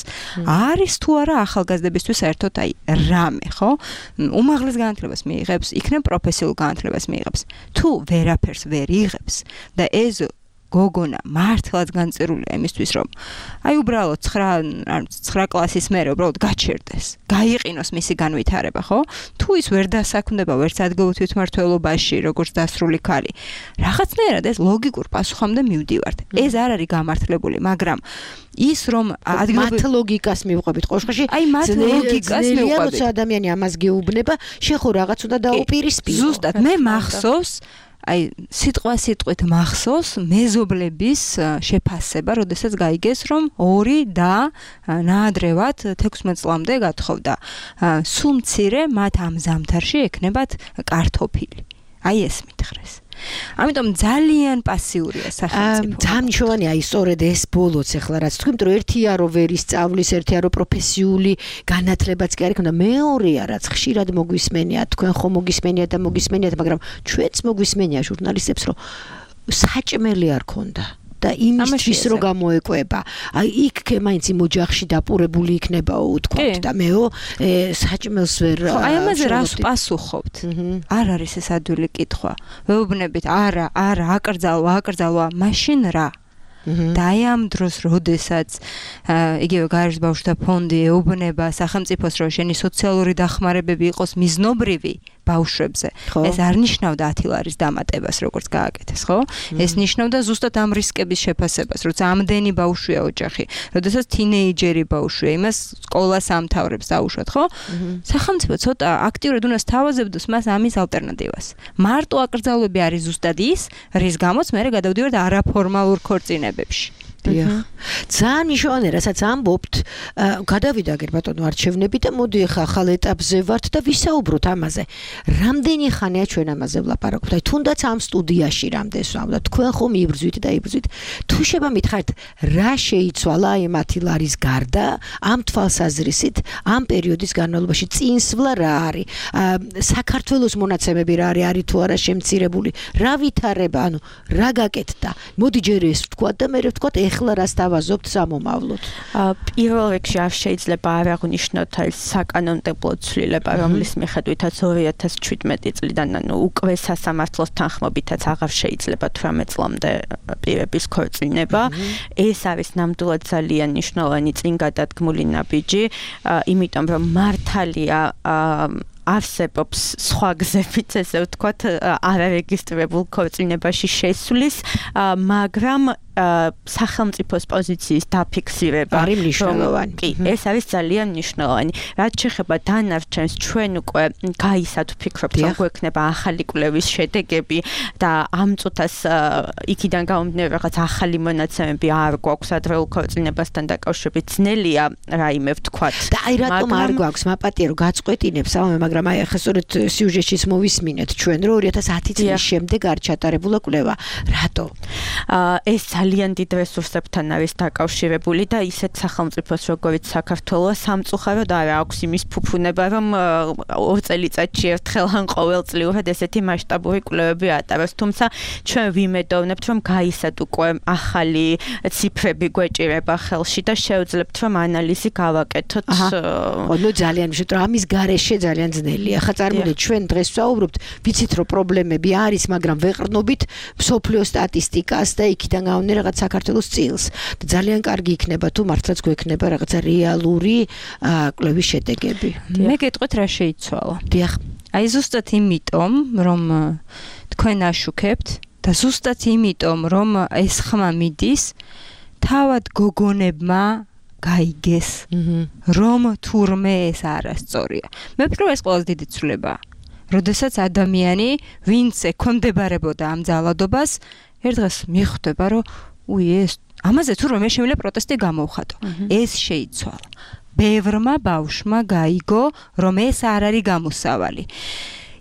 არის თუ არა ახალგაზრდებისთვის საერთოდ აი რამე, ხო? უმაღლეს განათლებას მიიღებს, იქნებ პროფესიულ განათლებას მიიღებს. თუ ვერაფერს ვერ იღებს და ეს გოგონა მართლაც განწერულია იმისთვის, რომ აი უბრალოდ ცხრა კლასის მერე უბრალოდ გაჩერდეს, გაიყინოს მისი განვითარება, ხო? თუ ის ვერ დასაქმდება ვერც ადგილობრივ თვითმმართველობაში, როგორც დასრული ქალი, რაღაცნაირად ეს ლოგიკურ პასუხამდე მივდივართ. ეს არ არის გამართლებული, მაგრამ ის რომ ადგილობრივ მათ ლოგიკას მივყვებით ყოშხაში, აი მათ ლოგიკას მივყვებით. როცა ადამიანი ამას გეუბნება, შეხო რაღაც უნდა დაუპირისპირო. ზუსტად, მე მახსოვს აი სიტყვა სიტყვით მახსოვს მეზობლების შეფასება, როდესაც გაიგეს, რომ ორი და ნაადრევად თექვსმეტ წლამდე გათხოვდა. სულ მცირე მათ ამ ზამთარში ექნებათ კარტოფილი. აი ეს მითხრეს. ამიტომ ძალიან პასიურია სახელმწიფო. ძალიან მნიშვნელოვანია აი სწორედ ეს ბოლოც ახლა რაც თქვი, რომ ერთია რომ ვერ ისწავლის, ერთია რომ პროფესიული განათლებაც კი არ იქნება, მეორეა რაც ხშირად მოგვისმენია, თქვენ ხო მოგისმენიათ და მოგისმენიათ, მაგრამ ჩვენც მოგვისმენია ჟურნალისტებს, რომ საჭმელი არ ქონდა. და იმისთვის რო გამოეკვება. აი იქ მაინც იმ ოჯახში დაპურებული იქნებაო უთქვათ და მეო საჭმელს ვერ ხო აი ამაზე რას პასუხობთ? არ არის ეს ადვილი კითხვა. ვეუბნებით არა, არა, აკრძალვა, აკრძალვა, მაშინ რა? და აი ამ დროს, როდესაც იგივე გაეროს ბავშვთა ფონდი ეუბნება სახელმწიფოს, რომ შენი სოციალური დახმარებები იყოს მიზნობრივი ბავშვებზე. ეს არ ნიშნავდა ათი ლარის დამატებას, როგორც გააკეთეს, ხო? ეს ნიშნავდა ზუსტად ამ რისკების შეფასებას, როცა ამდენი ბავშვია ოჯახი, როდესაც თინეიჯერი ბავშვია, იმას სკოლას ამთავრებს დაუშვათ, ხო? სახელმწიფო ცოტა აქტიურად უნდა სთავაზებდეს მას ამის ალტერნატივას. მარტო აკრძალვები არის ზუსტად ის, რის გამოც მე გადავდივართ არაფორმალურ ქორწინებებში. დიახ. ძალიან მნიშვნელოვანია, რასაც ამბობთ, გადავიდა გერ ბატონო არჩევნები და მოდი ახლა ახალ ეტაპზე ვართ და ვისაუბროთ ამაზე. რამდენი ხანია ჩვენ ამაზე ვლაპარაკობთ? აი თუნდაც ამ სტუდიაში რამდენს ვამბობთ, თქვენ ხომ იბრძვით და იბრძვით. თუ შევა მითხარით, რა შეიცვალა აი ათი ლარის გარდა ამ თვალსაზრისით, ამ პერიოდის განმავლობაში წინსვლა რა არის? საქართველოს მონაცემები რა არის, არის თუ არა შემცირებული? რა ვითარება, ანუ რა გაკეთდა? მოდი ჯერ ეს ვთქვათ და მე ვთქვათ ეხლა რას დავაზობთ სამომავლოდ? პირველ რიგში არ შეიძლება არ აღნიშნოთ ეს საკანონმდებლო ცვლილება, რომლის მიხედვითაც ორი ათას შვიდმეტი წლიდან ანუ უკვე სასამართლოს თანხმობითაც აღარ შეიძლება თვრამეტ წლამდე პირების ქორწინება. ეს არის ნამდვილად ძალიან მნიშვნელოვანი წინგადადგმული ნაბიჯი, იმიტომ რომ მართალია არსებობს სხვა გზებიც, ესე ვთქვათ, არარეგისტრირებულ ქორწინებაში შესვლის, მაგრამ სახელმწიფოს პოზიციის დაფიქსირება არის მნიშვნელოვანი. კი, ეს არის ძალიან მნიშვნელოვანი. რაც შეეხება დანარჩენს, ჩვენ უკვე გაისად ვფიქრობთ, რომ გვექნება ახალი კვლევის შედეგები და ამ წუთას იქიდან გამომდინარე რაღაც ახალი მონაცემები არ გვაქვს ადრეულ ქორწინებასთან დაკავშირებით, ძნელია რაიმე ვთქვათ. და აი რატომ არ გვაქვს, მაპატიე რომ გაწყვეტინებს ამე, მაგრამ აი ახლა სწორედ სიუჟეტშიც მოვისმინეთ ჩვენ, რომ ორი ათას ათი წლის შემდეგ არ ჩატარებულა კვლევა. რატო? ეს ძალიან დიდ რესურსებთან არის დაკავშირებული და ისეთ სახელმწიფოს როგორც საქართველოს სამწუხაროდ არ აქვს იმის ფუფუნება, რომ ორ წელიწადში ერთხელ ან ყოველწლიურად ესეთი მასშტაბური კვლევები ატაროს. თუმცა ჩვენ ვიმედოვნებთ, რომ გაისად უკვე ახალი ციფრები გვეჭირება ხელში და შევძლებთ, რომ ანალიზი გავაკეთოთ. ნუ ძალიან მშვიდ, რომ ამის გარეშე ძალიან ძნელია. ხა წარმოდეთ, ჩვენ დღეს ვსაუბრობთ, ვიცით რომ პრობლემები არის, მაგრამ ვეყრდნობით მსოფლიო სტატისტიკას და იქიდან გავვნე რაღაც საქართველოს წილს. ძალიან კარგი იქნება თუ მართლაც გვექნება რაღაცა რეალური კვლევის შედეგები. მე გეტყვით რა შეიცვალა. დიახ. აი ზუსტად იმიტომ, რომ თქვენ აშუქებთ და ზუსტად იმიტომ, რომ ეს ხმა მიდის, თავად გოგონებმა გაიგეს, რომ თურმე ეს არასწორია. მე ვფიქრობ ეს ყველაზე დიდი ცვლილებაა. როდესაც ადამიანი, ვინც ექვემდებარებოდა ამ ძალადობას, ერთ დღეს მიხვდება, რომ უი ეს ამაზე თურმე მე შემიძლია პროტესტი გამოვხატო. ეს შეიცვალა. ბევრმა ბავშვმა გაიგო, რომ ეს არ არის გამოსავალი.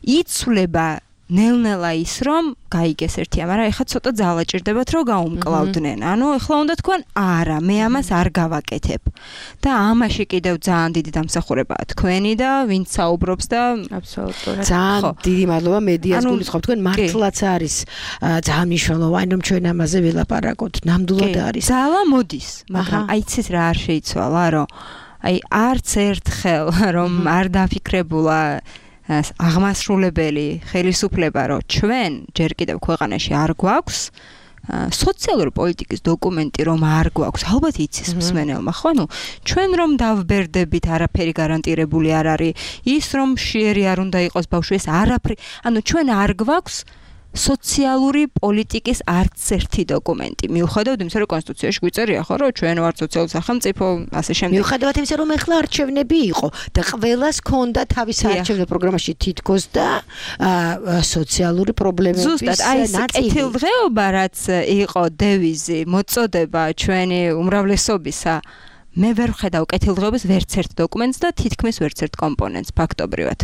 იცვლება ნელ-ნელა ის, რომ გაიგეს ერთია, მაგრამ ეხლა ცოტა ძალა ჭირდებათ, რომ გაუმკლავდნენ. ანუ ეხლა უნდა თქვენ, არა, მე ამას არ გავაკეთებ. და ამაში კიდევ ძალიან დიდი დამსახურებაა თქვენი და ვინც საუბრობს და აბსოლუტურად. ძალიან დიდი მადლობა მედიას გულისხმობ. თქვენ მართლაც არის ძალიან მნიშვნელოვანი, რომ ჩვენ ამაზე ვილაპარაკოთ. ნამდვილად არის. ძალა მოდის, მაგრამ აი ცის რა არ შეიცვალა, რომ აი არც ერთხელ რომ არ დაფიქრებულა აღმასრულებელი ხელისუფლება, რომ ჩვენ ჯერ კიდევ ქვეყანაში არ გვაქვს სოციალური პოლიტიკის დოკუმენტი, რომ არ გვაქვს, ალბათ იცის მსმენელმა, ხო? ნუ ჩვენ რომ დავბერდებით, არაფერი გარანტირებული არ არის, ის რომ შიერი არ უნდა იყოს ბავშვი, ეს არაფერი, ანუ ჩვენ არ გვაქვს სოციალური პოლიტიკის არც ერთი დოკუმენტი. მიუხედავად იმისა, რომ კონსტიტუციაში გვიწერია, ხო, რომ ჩვენ ვართ სოციალური სახელმწიფო, ასე შემდეგ. მიუხედავად იმისა, რომ ეხლა არჩევნები იყო და ყველას ჰქონდა თავის არჩევნებრივ პროგრამაში თითქოს და სოციალური პრობლემების ნაწილი. ზუსტად, აი ეს კეთილდღეობა, რაც იყო დევიზი, მოწოდება ჩვენი უმრავლესობისა, მე ვერ ვხედავ კეთილდღეობის ვერც ერთ დოკუმენტს და თითქმის ვერც ერთ კომპონენტს ფაქტობრივად.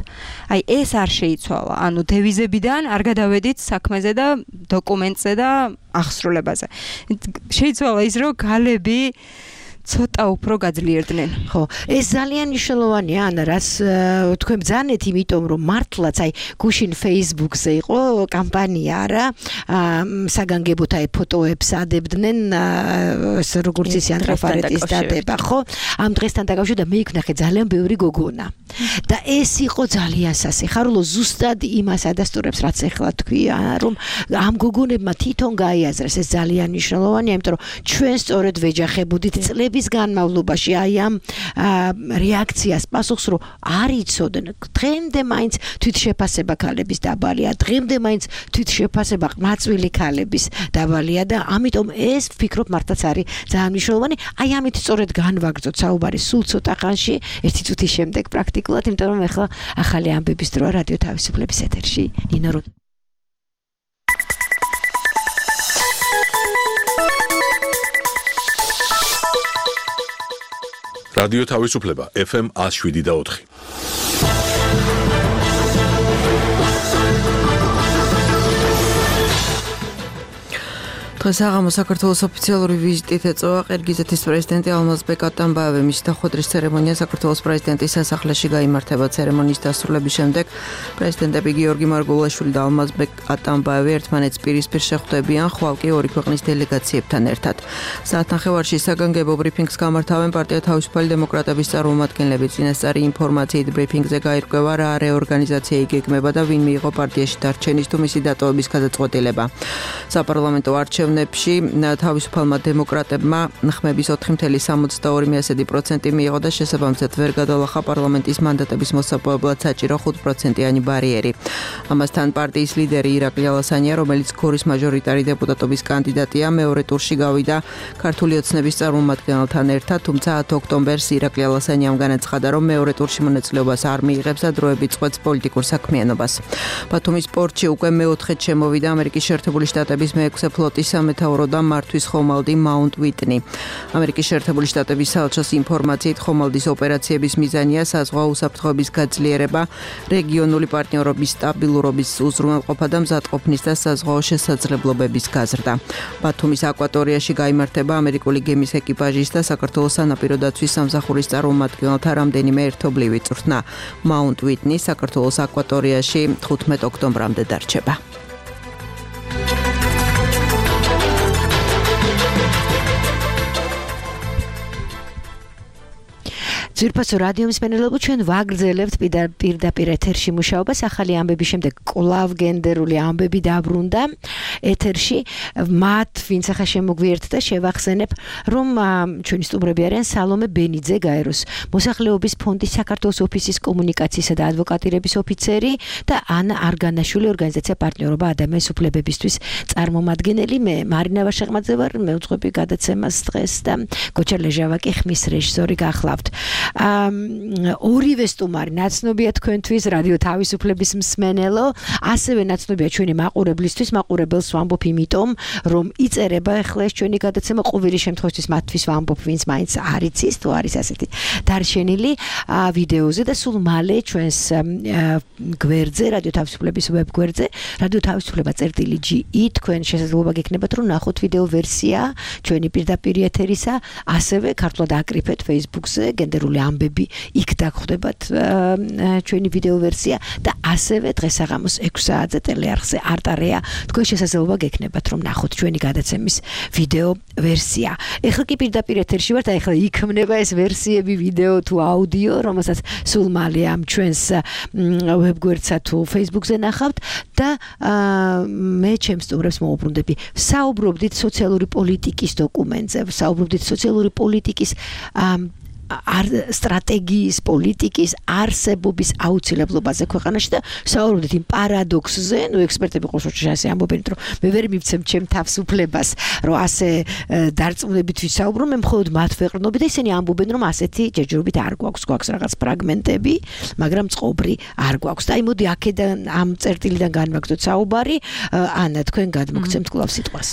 აი ეს არ შეიცვალა. ანუ დევიზებიდან არ გადავედით საქმეზე და დოკუმენტზე და აღსრულებაზე. შეიცვალა ის, რომ გალები ცოტა უფრო გაძლიერდნენ. ხო, ეს ძალიან მნიშვნელოვანია, ანა, რაც თქვენ ბძანეთ, იმიტომ რომ მართლაც აი გუშინ Facebook-ზე იყო კამპანია რა, საგანგებოდ აი ფოტოებს ადებდნენ, ეს როგორც ისი ანდრაფარეტის დატება, ხო? ამ დღესთან დაკავშირებით და მე იქნახე ძალიან ბევრი გოგონა. და ეს იყო ძალიან სასიხარულო, ზუსტად იმას ადასტურებს, რაც ახლა თქვია, რომ ამ გოგონებმა თვითონ გაიაზრეს, ეს ძალიან მნიშვნელოვანია, იმიტომ რომ ჩვენ სწორედ ვეჯახებოდით წლების განმავლობაში აი ამ რეაქციას პასუხს, რომ არ იცოდნენ, დღემდე მაინც თვითშეფასება ქალების დაბალია, დღემდე მაინც თვითშეფასება ყმაწვილი ქალების დაბალია და ამიტომ ეს ვფიქრობ მართლაც არის ძალიან მნიშვნელოვანი. აი ამით სწორედ განვაგრძოთ საუბარი სულ ცოტა ხანში, ერთი წუთის შემდეგ პრაქტიკულად, იმიტომ რომ ახლა ახალი ამბების დროა რადიო თავისუფლების ეთერში. ნინო რო რადიო თავისუფლება ეფ ემ one oh seven და four. დღეს აღამო საქართველოს ოფიციალური ვიზიტით ეწევა ყირგიზეთის პრეზიდენტი ალმაზბეკ ატამბაევი. მის დახვედრის ცერემონია საქართველოს პრეზიდენტის სასახლეში გაიმართება. ცერემონიის დასრულების შემდეგ პრეზიდენტები გიორგი მარგულაშვილი და ალმაზბეკ ატამბაევი ერთმანეთს პირისპირ შეხვდებიან, ხვალ კი ორი ქვეყნის დელეგაციებთან ერთად. საათნახევარში საგანგებო ბრიფინგს გამართავენ პარტია თავისუფალი დემოკრატების წარმომადგენლები. წინასწარი ინფორმაციით ბრიფინგზე გაირკვევა რა რეორგანიზაცია იგეგმება და ვინ მიიღო პარტიაში დარჩენის თუ მისი დატოვების გადაწყვეტილება. საპარლამენტო არჩევნებში თავისუფალმა დემოკრატებმა ხმების ოთხი virgulă șaizeci și doi la sută მიიღო და შესაბამისად ვერ გადალახა პარლამენტის მანდატების მოსაპოვებლად საჭირო ხუთ პროცენტიანი ბარიერი. ამასთან პარტიის ლიდერი ირაკლი ალასანია, რომელიც გორის მაჟორიტარი დეპუტატობის კანდიდატია, მეორე ტურში გავიდა ქართული ოცნების წარმომადგენელთან ერთად, თუმცა ათი ოქტომბერს ირაკლი ალასანიამ განაცხადა, რომ მეორე ტურში მონაწილეობას არ მიიღებს და დროებით წყვეტს პოლიტიკურ საქმიანობას. ბათუმის პორტში უკვე მეოთხედ შემოვიდა ამერიკის შეერთებული შტატების მეექვსე ფლოტის სამეთაურო და მართვის ხომალდი მაუნტ ვიტნი. ამერიკის შეერთებული შტატების საელჩოს ინფორმაციით ხომალდის ოპერაციების მიზანია საზღვაო უსაფრთხოების გაძლიერება, რეგიონული პარტნიორობის სტაბილურობის უზრუნველყოფა და მზადყოფნის და საზღვაო შესაძლებლობების გაზრდა. ბათუმის აკვატორიაში გაიმართება ამერიკული გემის ეკიპაჟის და საქართველოს სანაპირო დაცვის სამსახურის წარმომადგენელთა რამდენიმე ერთობლივი წვრთნა. მაუნტ ვიტნი საქართველოს აკვატორიაში თხუთმეტ ოქტომბრამდე დარჩება. ძვირფასო რადიო მსმენელებო, ჩვენ ვაგრძელებთ პირდაპირ ეთერში მუშაობას. ახალი ამბების შემდეგ კვლავ გენდერული ამბები დაბრუნდა ეთერში. მათ ვინც ახლა შემოგვიერთდა და შევახსენებ, რომ ჩვენი სტუმრები არიან სალომე ბენიძე, გაეროს მოსახლეობის ფონდის საქართველოს ოფისის კომუნიკაციისა და ადვოკატირების ოფიცერი და ანა არგანაშვილი, ორგანიზაცია პარტნიორობა ადამიანის უფლებებისთვის წარმომადგენელი. მე მარინა ვაშეღმაძე ვარ, მე უძღვები გადაცემას დღეს და გოჩა ლეჟავაკი ხმის რეჟისორი გახლავთ. ორივე სტუმარი ნაცნობია თქვენთვის რადიო თავისუფლების მსმენელო, ასევე ნაცნობია ჩვენი მაყურებლისთვის, მაყურებელს ვამბობ იმიტომ, რომ იწერება ახლა ეს ჩვენი გადაცემა ყოველი შემთხვევაში მათთვის ვამბობ, ვინც მაინც არ იცის, თუ არის ასეთი დარჩენილი ვიდეოზე და სულ მალე ჩვენს გვერდზე, რადიო თავისუფლების ვებ გვერდზე, რადიო თავისუფლება წერტილი ჯი ი, თქვენ შესაძლებლობა გექნებათ, რომ ნახოთ ვიდეო ვერსია ჩვენი პირდაპირ ეთერისა, ასევე ქართულად აკრიფეთ Facebook-ზე გენდერული ამბები, იქ დაგხვდებათ ჩვენი ვიდეო ვერსია და ასევე დღეს აღამოს ექვსი საათზე ტელეარხზე არტარეა, თქვენ შესაძლებლობა გექნებათ, რომ ნახოთ ჩვენი გადაცემის ვიდეო ვერსია. ეხლა კი პირდაპირ ეთერში ვართ, ეხლა იქმნება ეს ვერსიები, ვიდეო თუ აუდიო, რომელსაც სულ მალე ამ ჩვენს ვებგვერდსა თუ Facebook-ზე ნახავთ და მე ჩემს სტუმრებს მოვუბრუნდები. საუბრობდით სოციალური პოლიტიკის დოკუმენტზე, საუბრობდით სოციალური პოლიტიკის არ სტრატეგიის პოლიტიკის არსებობის აუცილებლობაზე ქვეყანაში და საუბრობდით იმ პარადოქსზე, ნუ ექსპერტები ყოველ შემთხვევაში ასე ამბობენ, რომ მე ვერ მივცემ ჩემ თავს უფლებას, რომ ასე დარწმუნებით ვისაუბრო, მე მხოლოდ მათ ვეყრდნობი და ისინი ამბობენ, რომ ასეთი ჯერჯერობით არ გვაქვს, გვაქვს რაღაც ფრაგმენტები, მაგრამ წყობრი არ გვაქვს. და აი მოდი აქედან ამ წერტილიდან განვაგრძოთ საუბარი. ანა, თქვენ გადმოგცემთ კვლავ სიტყვას.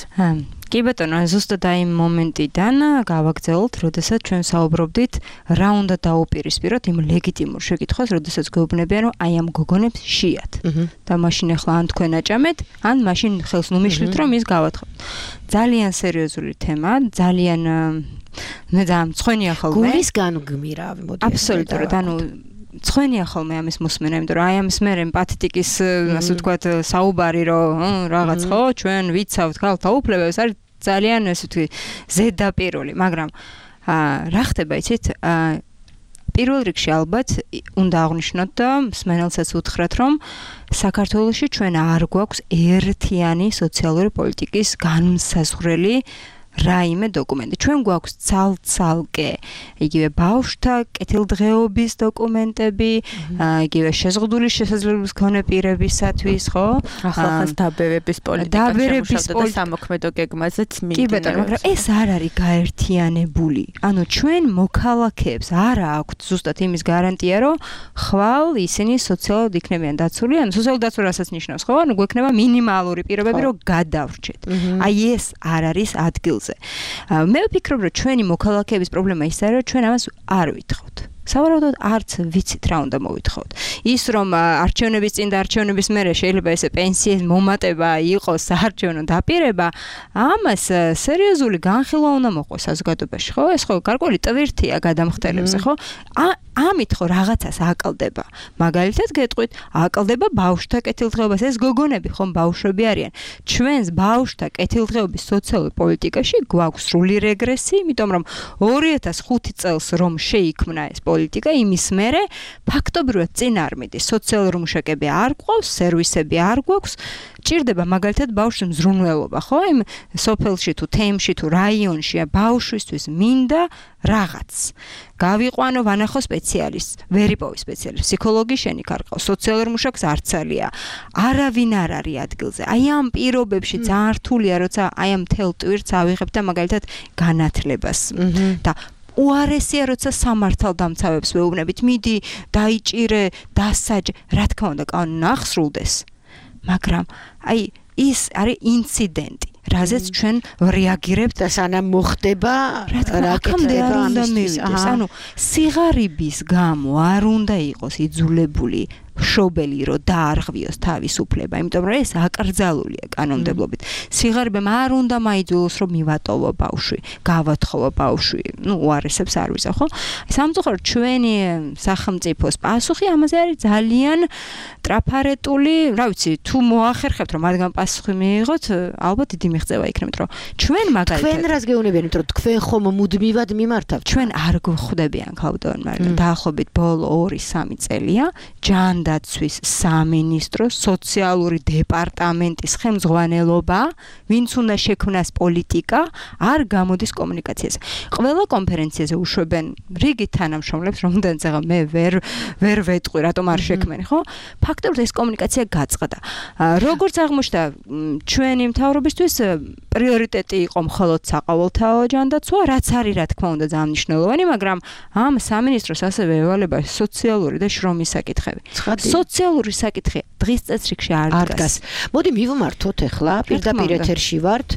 კი ბატონო, ზუსტად აი იმ მომენტიდან გავაგრძელოთ, როდესაც ჩვენ საუბრობდით რა უნდა დაუპირისპიროთ იმ ლეგიტიმურ შეკითხვას, როდესაც გვეუბნებიან, რომ აი ამ გოგონებს შეიათ. და მაშინ ახლა ან თქვენ აჭამეთ, ან მაშინ ხელს ნუ მიშლით, რომ ის გავათხოვოთ. ძალიან სერიოზული თემა, ძალიან მე ძალიან მწვენია ხოლმე. გულისგან გმირავი, მოდი. აბსოლუტურად, ანუ მწვენია ხოლმე ამის მოსმენა, იმიტომ რომ აი ამის მერე პათეტიკის, ასე ვთქვათ, საუბარი, რომ რაღაც ხო, ჩვენ ვიცავთ ქალთა უფლებებს, არის ძალიან ასე ვთქვი, ზედაპირული, მაგრამ რა ხდება იცით? პირველ რიგში ალბათ უნდა აღვნიშნოთ და მსმენელსაც უთხრათ, რომ საქართველოში ჩვენ არ გვაქვს ერთიანი სოციალური პოლიტიკის განმსაზღვრელი რაიმე დოკუმენტი. ჩვენ გვაქვს ცალ-ცალკე იგივე ბავშვთა კეთილდღეობის დოკუმენტები, იგივე შეზღუდული შესაძლებლობის მქონე პირებისათვის, ხო? ახალგაზრდა დაბერების პოლიტიკა შემუშავდა და სამოქმედო გეგმაზეც მიმდინარეობს. კი ბატონო, მაგრამ ეს არ არის გაერთიანებული. ანუ ჩვენ მოქალაქეებს არ აქვთ ზუსტად იმის გარანტია, რომ ხვალ ისინი სოციალურად იქნებიან დაცული, ანუ სოციალურ დაცვა რასაც ნიშნავს, ხო? ანუ გვექნება მინიმალური პირობები, რომ გადავრჩეთ. აი ეს არ არის ადგილზე. მე ვფიქრობ, რომ ჩვენი მოქალაქეების პრობლემა ის არის, რომ ჩვენ ამას არ ვითხოვთ. სავარაუდოდ არც ვიცით რა უნდა მოვითხოვოთ. ის რომ არჩევნების წინ და არჩევნების მერე შეიძლება ესე პენსიის მომატება იყოს საარჩევნო დაპირება, ამას სერიოზული განხილვა უნდა მოყოს საზოგადოებაში, ხო? ეს ხო გარკვეული ტვირთია გადამხდელებზე, ხო? ამით ხო რაღაცას აკლდება. მაგალითად გეტყვით, აკლდება ბავშვთა კეთილდღეობას. ეს გოგონები ხომ ბავშვები არიან. ჩვენს ბავშვთა კეთილდღეობის სოციალურ პოლიტიკაში გვაქვს სრული რეგრესი, იმიტომ რომ ორი ათას ხუთი წელს რომ შეიქმნა ეს პოლიტიკა, იმის მერე ფაქტობრივად წინ არ მიდის. სოციალური მუშაკები არ გვყავს, სერვისები არ გვაქვს. ჭირდება მაგალითად ბავშვის მზრუნველობა, ხო? იმ სოფელში თუ თემში თუ რაიონში ბავშვისთვის მინდა რაღაც. გავიყვანო ვანახო სპეციალისტს, ვერ იპოვი სპეციალისტს, ფსიქოლოგი შენიქარყავ, სოციალურ მუშაკს არცალია. არავინ არ არის ადგილზე. აი ამ პირობებში ძალიან რთულია, როცა აი ამ თელ ტვირთს ავიღებ და მაგალითად განათლებას და უარესია, როცა სამართალდამცავებს ვეუბნებით, მიდი, დაიჭირე, დასაჯე, რა თქმა უნდა, კანონი აღსრულდეს. მაგრამ აი ის არის ინციდენტი, რაზეც ჩვენ რეაგირებთ და სანამ მოხდება, რა კეთდება ამისთვის. ანუ სიღარიბის გამო არ უნდა იყოს იძულებული შობელი რომ დაარღვიოს თავისუფლება, იმიტომ რომ ეს აკრძალულია კანონმდებლობით. სიღარიბემ არ უნდა მაიძულოს რომ მივატოვო ბავშვი, გავათხოვო ბავშვი, ну უარესებს არ ვიზა, ხო? სამწუხაროდ ჩვენი სახელმწიფოს პასუხი ამაზე არის ძალიან ტრაფარეტული, რა ვიცი, თუ მოახერხებთ რომ მათგან პასუხი მიიღოთ, ალბათ დიდი მიღწევა იქნებთ, რომ ჩვენ მაგალითად თქვენ რას გეუბნებიან, რომ თქვენ ხომ მუდმივად მიმართავთ? ჩვენ არ გვხვდებიან ქალბატონ მარინა, დაახლოებით ბოლო ორი სამი წელია, ჯან დაცვის სამინისტროს სოციალური დეპარტამენტის ხელმძღვანელობა, ვინც უნდა შექმნას პოლიტიკა, არ გამოდის კომუნიკაციაზე. ყველა კონფერენციაზე უშვებენ რიგი თანამშრომლებს, რომლენიც ახლა მე ვერ ვერ ვეტყვი, რატომ არ შექმენი, ხო? ფაქტობრივად ეს კომუნიკაცია გაწყდა. როგორც აღმოჩნდა, ჩვენი მთავრობისთვის პრიორიტეტი იყო მხოლოდ საყოველთაო ჯანდაცვა, რაც არის რა თქმა უნდა ძალიან მნიშვნელოვანი, მაგრამ ამ სამინისტროს ასევე ევალება სოციალური და შრომის საკითხები. სოციალური საკითხი დღის წესრიგში არ დგას. მოდი მივმართოთ ახლა, პირდაპირ ეთერში ვართ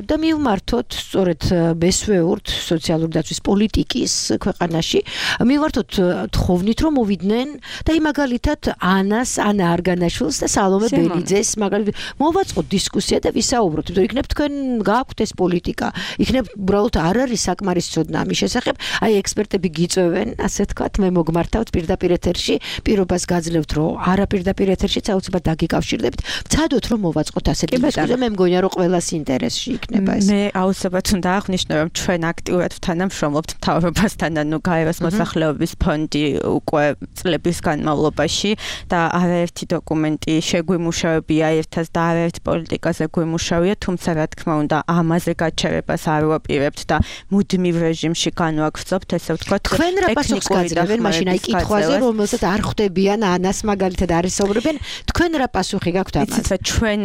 და მივმართოთ სწორედ მესვეურთ სოციალური დაცვის პოლიტიკის ქვეყანაში. მივმართოთ თხოვნით რომ მოვიდნენ და იმ მაგალითად ანას, ანა არგანაშვილს და სალომე ბენიძეს მაგალითად მოვაწყოთ დისკუსია და ვისაუბროთ. იმიტომ იქნებ თქვენ გააქვთ ეს პოლიტიკა. იქნებ უბრალოდ არ არის საკმარის ცოდნა ამის შესახებ. აი ექსპერტები გიწევენ, ასე თქვათ, მე მოგმართავთ პირდაპირ ეთერში, პირობას გაძლევთ, რომ არა პირდაპირ ეთერშიც აუცილებლად დაგიკავშირდებით. ვცადოთ რომ მოვაწყოთ ასეთი დისკუსია, მე მგონია რომ ყველას ინტერესში იქნება ეს. მე აუცილებლად უნდა აღვნიშნო, რომ ჩვენ აქტიურად თანამშრომლობთ მთავრობასთან, ანუ გაეროს მოსახლეობის ფონდი უკვე წლების განმავლობაში და არაერთი დოკუმენტი შეგვიმუშავებია ერთად და არაერთ პოლიტიკაზე გვიმუშავია, თუმცა რა თქმა უნდა ამაზე გაჩერებას არ ვაპირებთ და მუდმივ რეჟიმში განვაგრძობთ, ესე ვთქვათ. თქვენ რა პასუხს გაძლევენ მაშინ აი კითხვაზე, რომელსაც არ ხვდებიან ანას მაგალითად არისაუბრებენ, თქვენ რა პასუხი გაქვთ ამაზე? იცით, ჩვენ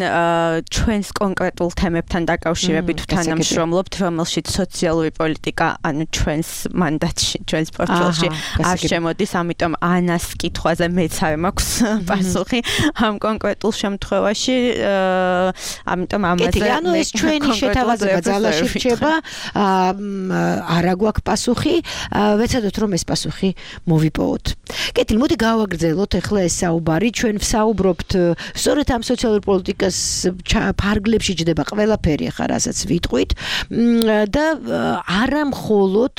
ჩვენს კონკრეტულ თემებთან დაკავშირებით თანამშრომლობთ, რომელშიც სოციალური პოლიტიკა, ანუ ჩვენს მანდატში, ჩვენს პორტფელში არ შემოდის, ამიტომ ანას კითხვაზე მეც არ მაქვს პასუხი ამ კონკრეტულ შემთხვევაში, ამიტომ ამაზე ანუ ეს ეს ჩვენი შეთავაზება ძალაში რჩება, არა გვაქვს პასუხი, ვეცადოთ რომ ეს პასუხი მოვიპოვოთ. კეთილ, მოდი გავაგრძელოთ ახლა ეს საუბარი, ჩვენ ვსაუბრობთ სწორედ ამ სოციალურ პოლიტიკას ფარგლებში ჯდება ყველაფერი ახლა რასაც ვიტყვით და არა მხოლოდ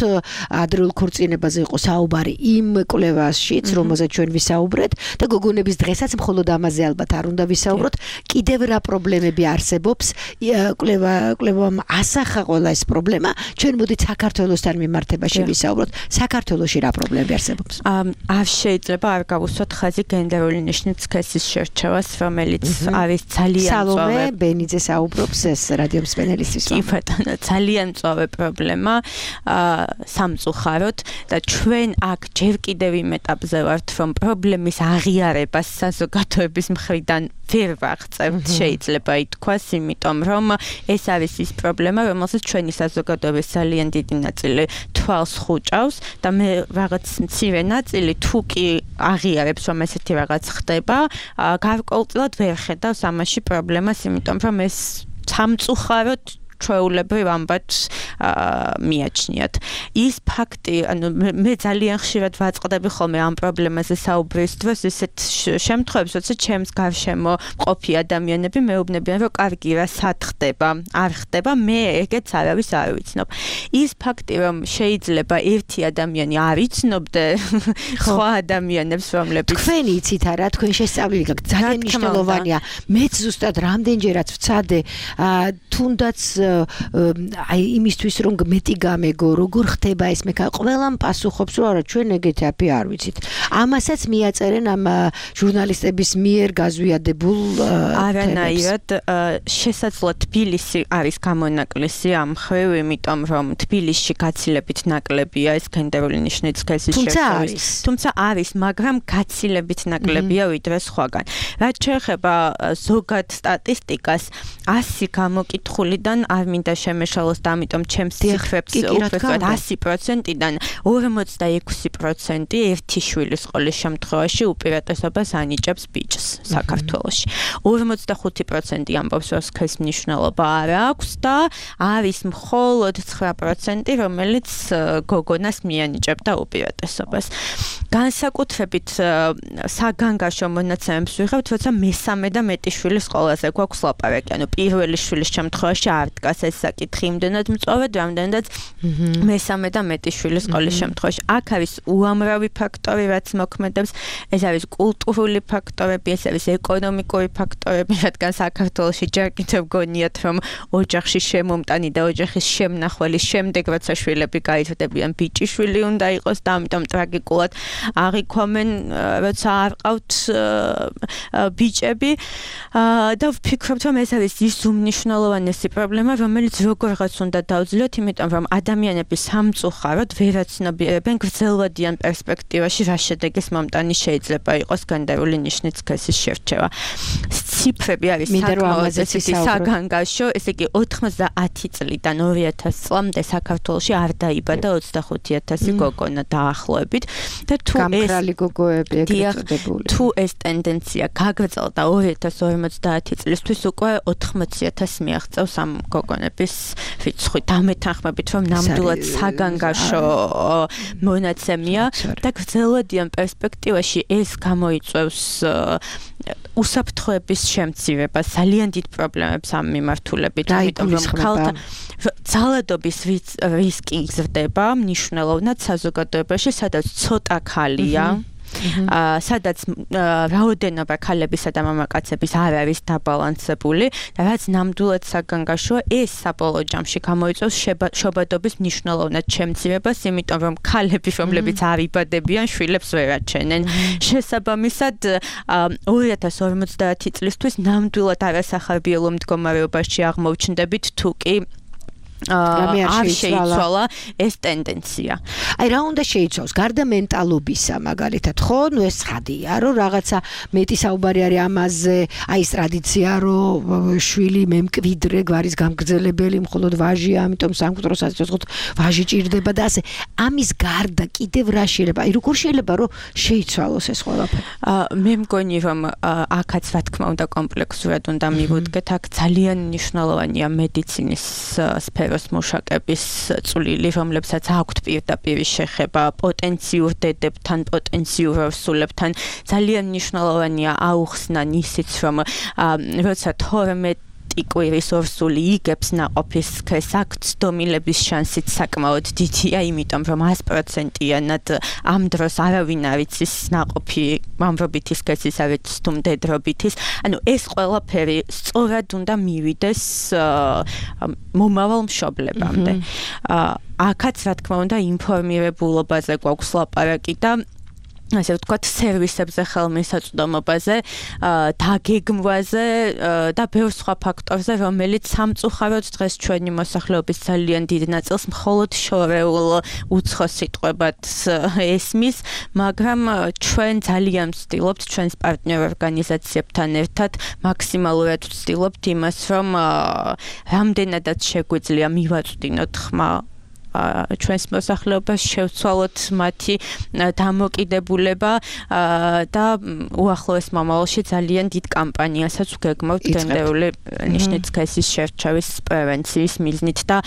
ადრეულ ქორწინებაზე იყო საუბარი იმ კვლევაშიც, რომელზეც ჩვენ ვისაუბრეთ და გოგონების დღესაც მხოლოდ ამაზე ალბათ არ უნდა ვისაუბროთ, კიდევ რა პრობლემები არსებობს, კვლევა კვლევამ ასახა ყველა ეს პრობლემა, ჩვენ მოდით საქართველოსთან მიმართებაში ვისაუბროთ, საქართველოში რა პრობლემები არსებობს? არ შეიძლება არ გავუსვათ ხაზი გენდერული ნიშნის სქესის შერჩევას, რომელიც არის ძალიან სალომე ბენიძე საუბრობს ეს რადიო მსმენელისთვის. კი ბატონო, ძალიან მწვავე პრობლემა სამწუხაროდ და ჩვენ აქ ჯერ კიდევ იმ ეტაპზე ვართ, რომ პრობლემის აღიარებას საზოგადოების მხრიდან ვერ ვაღწევთ, შეიძლება ითქვას, იმიტომ რომ ეს არის ის პრობლემა, რომელსაც ჩვენი საზოგადოების ძალიან დიდი ნაწილი თვალს ხუჭავს და მე რაღაც მცირე ნაწილი თუ კი აღიარებს, რომ ესეთი რაღაც ხდება, გარკვეულწილად ვერ ხედავს ამაში პრობლემას, იმიტომ რომ ეს სამწუხაროდ ჩვეულებრივ ამბად მიაჩნიათ. ის ფაქტი, ანუ მე ძალიან ხშირად ვაწყდები ხოლმე ამ პრობლემაზე საუბრის დროს, ისეთ შემთხვევებში, როცა ჩემს გარშემო მყოფი ადამიანები მეუბნებიან, რომ კარგი რა სად ხდება, არ ხდება, მე ეგეც არავის არ ვიცნობ. ის ფაქტი, რომ შეიძლება ერთი ადამიანი არ იცნობდე სხვა ადამიანებს, რომლებიც თქვენი იცით არა, თქვენ შესწავლილი გაქვთ, ძალიან მნიშვნელოვანია. მეც ზუსტად რამდენჯერაც ვცადე, თუნდაც აი იმისთვის რომ მეტი გამეგო, როგორ ხდება ეს მე ყველამ პასუხობს, რომ არა ჩვენ ეგეთი აფი არ ვიცით. ამასაც მიაწერენ ამ ჟურნალისტების მიერ გაზვიადებულ არანაირად შესაძლოა თბილისი არის გამონაკლისი ამ ხრივ, იმიტომ რომ თბილისში გაცილებით ნაკლებია ეს გენდერული ნიშნის სქესის შერჩევის. თუმცა არის, მაგრამ გაცილებით ნაკლებია ვიდრე სხვაგან. რაც შეეხება ზოგად სტატისტიკას, ასი გამოკითხულიდან არ მინდა შემეშალოს და ამიტომ ჩემს ციფრებს უბრალოდ ასი პროცენტიდან ორმოცდაექვსი პროცენტი ერთი შვილის სკოლის შემთხვევაში უპირატესობას ანიჭებს ბიჭს საქართველოში. ორმოცდახუთი პროცენტი ამბობს, რომ სქესის მნიშვნელობა არ აქვს და არის მხოლოდ ცხრა პროცენტი, რომელიც გოგონას მიანიჭებდა უპირატესობას. განსაკუთრებით საგანგაშო მონაცემებს ვიღებთ, როცა მესამე და მეტი შვილის სკოლაზე გვაქვს ლაპარაკი, ანუ პირველი შვილის შემთხვევაში არ დგას ეს საკითხი იმდენად მწვავედ, რამდენადაც მესამე და მეტი შვილის სკოლის შემთხვევაში. აქ არის უამრავი ფაქტორი, რაც მოქმედებს, ეს არის კულტურული ფაქტორები, ეს არის ეკონომიკური ფაქტორები, რადგან საქართველოში ჯერ კიდევ გონიათ, რომ ოჯახში შემომტანი და ოჯახის შემნახველის შემდეგ, როცა შვილები გაიზრდებიან, ბიჭიშვილი უნდა იყოს და ამიტომ ტრაგიკულად აღიქვამენ, როცა არ ყავთ ბიჭები და ვფიქრობთ, რომ ეს არის ის უმნიშვნელოვანესი პრობლემა, რომელიც როგორღაც უნდა დავძლიოთ, იმიტომ რომ ადამიანები სამწუხაროდ ვერაცნობიერებენ გრძელვადიან პერსპექტივაში რა შედეგის მომტანი შეიძლება იყოს გენდერული ნიშნის სქესის შერჩევა. ციფრები არის საკმაოდ საგანგაშო, ესე იგი ოთხმოცდაათი წლიდან ორი ათასი წლამდე საქართველოში არ დაიბადა ოცდახუთი ათასი გოგონა დაახლოებით და თუ გამქრალი გოგოები ეგრეთ წოდებული. თუ ეს ტენდენცია გაგრძელდა ორი ათას ორმოცდაათი წლისთვის უკვე ოთხმოცი ათასი მიაღწევს ამ გოგონების რიცხვი. დამეთანხმებით, რომ ნამდვილად საგანგაშო მონაცემია და გრძელვადიან პერსპექტივაში ეს გამოიწვევს უსაფრთხოების შემცირებას, ძალიან დიდ პრობლემებს ამ მიმართულებით, იმიტომ რომ ქალთა ძალადობის რისკი იზრდება მნიშვნელოვნად საზოგადოებაში, სადაც ცოტა ქალია. სადაც რაოდენობა ქალებისა და მამაკაცების არ არის დაბალანსებული და რაც ნამდვილად საგანგაშოა, ეს საბოლოო ჯამში გამოიწვევს შობადობის მნიშვნელოვნად შემცირებას, იმიტომ რომ ქალები, რომლებიც არ იბადებიან, შვილებს ვერ აჩენენ. შესაბამისად, ორი ათას ორმოცდაათი წლისთვის ნამდვილად არასახარბიელო მდგომარეობაში აღმოჩნდებით, თუ კი არ შეიცვალა ეს ტენდენცია. აი რა უნდა შეიცვალოს? გარდა მენტალობისა, მაგალითად, ხო, ნუ ეს ხადია, რომ რაღაცა მეტი საუბარი არის ამაზე, აი ეს ტრადიცია, რომ შვილი მემკვიდრე გვარის გამგრძელებელი, მხოლოდ ვაჟია, ამიტომ სამკვდროს აწესოთ ვაჟი ჭირდება და ასე. ამის გარდა კიდევ რა შეიძლება? აი როგორ შეიძლება რომ შეიცვალოს ეს ყველაფერი? მე მგონი რომ აქაც რა თქმა უნდა კომპლექსურად უნდა მივუდგეთ, აქ ძალიან მნიშვნელოვანია მედიცინის სფეროს მუშაკების წვლილი, რომლებსაც აქვთ პირდაპირ შეხება პოტენციურ დედებთან, პოტენციურ ორსულებთან. ძალიან მნიშვნელოვანია აუხსნა ისიც, რომ როცა თორმეტი კვირის ორსული იგებს ნაყოფის სქესს, აქ ცდომილების შანსიც საკმაოდ დიდია, იმიტომ რომ ას პროცენტიანად ამ დროს არავინ არ იცის ნაყოფი მამრობითი სქესის არის თუ მდედრობითის. ანუ ეს ყველაფერი სწორად უნდა მივიდეს მომავალ მშობლებამდე. აქაც რა თქმა უნდა ინფორმირებულობაზე გვაქვს ლაპარაკი და ასე ვთქვათ, სერვისებზე ხელმისაწვდომობაზე, დაგეგმვაზე და ბევრ სხვა ფაქტორზე, რომელიც სამწუხაროდ დღეს ჩვენი მოსახლეობის ძალიან დიდ ნაწილს მხოლოდ შორეულ უცხო სიტყვებად ესმის, მაგრამ ჩვენ ძალიან ვცდილობთ ჩვენს პარტნიორ ორგანიზაციებთან ერთად მაქსიმალურად ვცდილობთ იმას, რომ რამდენადაც შეგვიძლია მივაწვდინოთ ხმა ჩვენს მოსახლეობას, შევცვალოთ მათი დამოკიდებულება და უახლოეს მომავალში ძალიან დიდ კამპანიასაც ვგეგმავთ გენდერული ნიშნის სქესის შერჩევის პრევენციის მიზნით და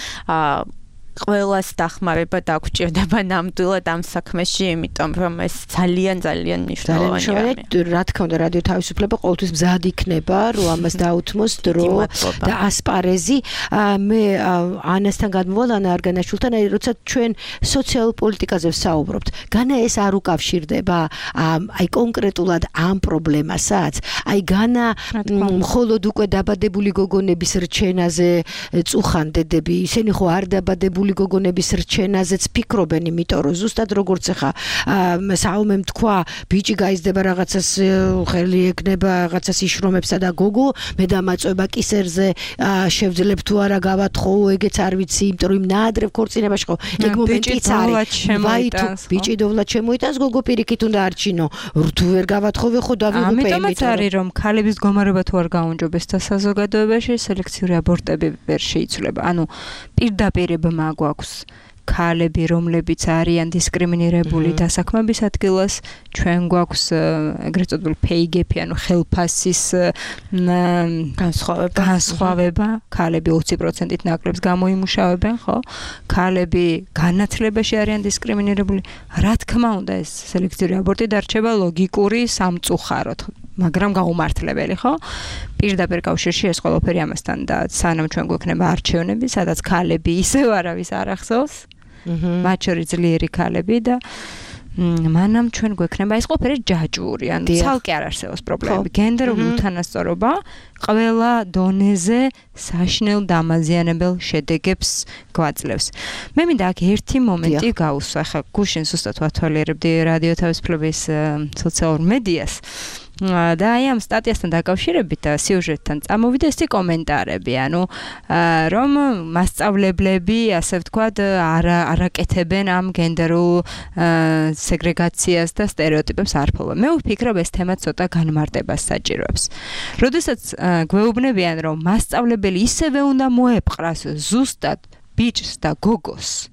ყველას დახმარება დაგვჭირდება ნამდვილად ამ საქმეში, იმიტომ რომ ეს ძალიან ძალიან მნიშვნელოვანია. რა თქმა უნდა, რადიო თავისუფლება ყოველთვის მზად იქნება, რომ ამას დაუთმოს დრო და ასპარეზი. მე ანასთან გადმოვალ, ანა არგანაშვილთან, აი როცა ჩვენ სოციალურ პოლიტიკაზე ვსაუბრობთ, განა ეს არ უკავშირდება აი კონკრეტულად ამ პრობლემასაც, აი განა მხოლოდ უკვე დაბადებული გოგონების რჩენაზე წუხან დედები, ისინი ხო არ დაბადებული გოგონების რჩენაზეც ფიქრობენ, იმიტომ რომ ზუსტად როგორც ახლა საომემ თქვა, ბიჭი გაიზრდება რაღაცას ხელი ეკნება, რაღაცას იშრომებსა და გოგო, მე დამაწובה კისერზე შევძლებ თუ არა გავათხო, ეგეც არ ვიცი, იმიტომ რომ ნაადრევ ქორწინებაში ხო, ეგ მომენტიც არის. ვაი თუ ბიჭი დოვლად შემოიტანს, გოგო პირიქით უნდა არჩინო. რთულ ვერ გავათხოვე ხო დავიღუპე, ამიტომაც არის რომ ქალების მდგომარეობა თუ არ გაუნჯობეს და საზოგადოებაში სელექციური აბორტები ვერ შეიცვლება. ანუ პირდაპირ გვაქვს ქალები, რომლებიც არიან დისკრიმინირებული დასაქმების ადგილას, ჩვენ გვაქვს ეგრეთ წოდებული pay gap, ანუ ხელფასის განსხვავება, განსხვავება, ქალები ოცი პროცენტით ნაკლებს გამოიმუშავებენ, ხო? ქალები განათლებაში არიან დისკრიმინირებული. რა თქმა უნდა, ეს სელექციური აბორტი დარჩება ლოგიკური სამწუხაროდ. მაგრამ გაუმართლებელი, ხო? პირდაპირ კავშირში ეს ყველაფერი ამასთან და სანამ ჩვენ გვექნება არჩევნები, სადაც ქალები ისევ არავის არ ახსოვს, მათ შორის ძლიერი ქალები და მანამ ჩვენ გვექნება ეს ყველაფერი ჯაჭვური, ანუ ცალკე არ არსებობს პრობლემები. გენდერული უთანასწორობა ყველა დონეზე საშნელ დამაზიანებელ შედეგებს გვაძლევს. მე მინდა აქ ერთი მომენტი გავუსვა, ახლა გუშინ ზუსტად ვათვალიერებდი რადიო თავისუფლების სოციალურ მედიას. და აი ამ სტატიასთან დაკავშირებით და სიუჟეტთან წამოვიდა ესეთი კომენტარები, ანუ რომ მასწავლებლები, ასე ვთქვათ, არ არაკეთებენ ამ გენდერულ სეგრეგაციას და სტერეოტიპებს არ ფლობენ. მე ვფიქრობ, ეს თემა ცოტა განმარტებას საჭიროებს. როდესაც გვეუბნებიან, რომ მასწავლებელი ისევე უნდა მოეპყრას ზუსტად ბიჭს და გოგოს.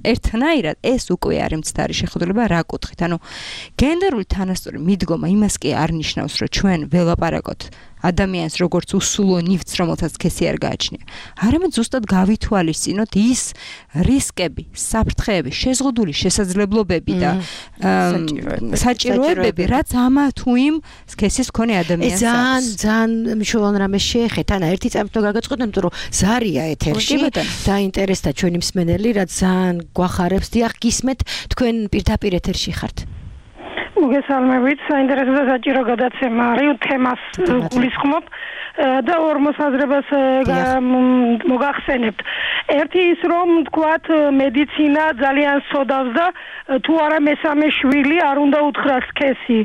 ერთნაირად ეს უკვე არის მცდარი შეხედულება რა კუთხით. ანუ გენდერული თანასწორი მიდგომა იმას კი არ ნიშნავს, რომ ჩვენ ველაპარაკოთ ადამიანს როგორც უსულო ნივთს, რომელსაც სქესი არ გააჩნია. არამედ ზუსტად გავითვალისწინოთ ის რისკები, საფრთხეები, შეზღუდული შესაძლებლობები და საჭიროებები, რაც ამა თუ იმ სქესის მქონე ადამიანს აქვს. ძალიან ძალიან მნიშვნელოვანი რამე შეეხეთ. ანა ერთი წამით გაგაწყოთ, იმიტომ რომ ზარია ეთერში დაინტერესდა ჩვენი მსმენელი, რაც ძალიან გვახარებს. დიახ, გისმენთ, თქვენ პირდაპირ ეთერში ხართ. მოგესალმებით, საინტერესო და საჭირო გადაცემა არის, თემას გულისხმობ და ორ მოსაზრებას მოგახსენებთ. ერთი ის, რომ თქვათ მედიცინა ძალიან სოდავს და თუ არა მესამე შვილი არ უნდა უთხრას სქესი.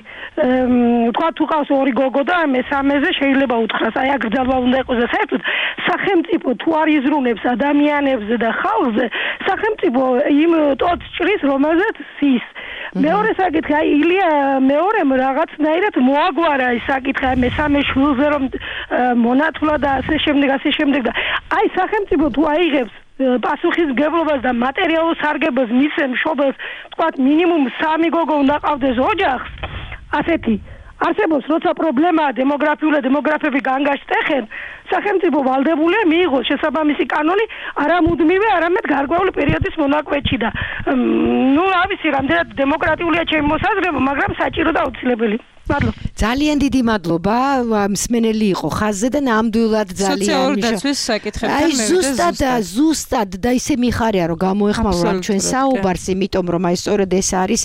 თქვათ თუ ყავს ორი გოგო და მესამეზე შეიძლება უთხრას. აი აქ გრძელვა უნდა იყოს და საერთოდ სახელმწიფო თუ არ იზრუნებს ადამიანებზე და ხალხზე, სახელმწიფო იმ ტოტს ჭრის, რომელზეც ის მეორე საკითხი, აი ილია მეორემ რაღაცნაირად მოაგვარა ეს საკითხი, აი მესამე შვილზე რომ მონათულა და ასე შემდეგ, ასე შემდეგ და აი სახელმწიფო თუ აიღებს პასუხისმგებლობას და მატერიალურ სარგებელს მისცემ მშობელს, თქვათ მინიმუმ სამი გოგო უნდა ყავდეს ოჯახს, ასეთი არსებობს, როცა პრობლემაა დემოგრაფიული და დემოგრაფები განგაშტეხენ, სახელმწიფო ვალდებულია მიიღოს შესაბამისი კანონი არა მუდმივი, არამედ გარკვეული პერიოდის მონაკვეთში და ნუ რა ვიცი, რამდენად დემოკრატიულია ჩემი მოსაზრება, მაგრამ საჭირო და აუცილებელი. მადლობა. ძალიან დიდი მადლობა. მსმენელი იყო ხაზზე და ნამდვილად ძალიან სოციალური დაცვის საკითხებთან აი ზუსტად ზუსტად და ისე მიხარია რომ გამოეხმაურა ჩვენ საუბარს, იმიტომ რომ აი სწორედ ეს არის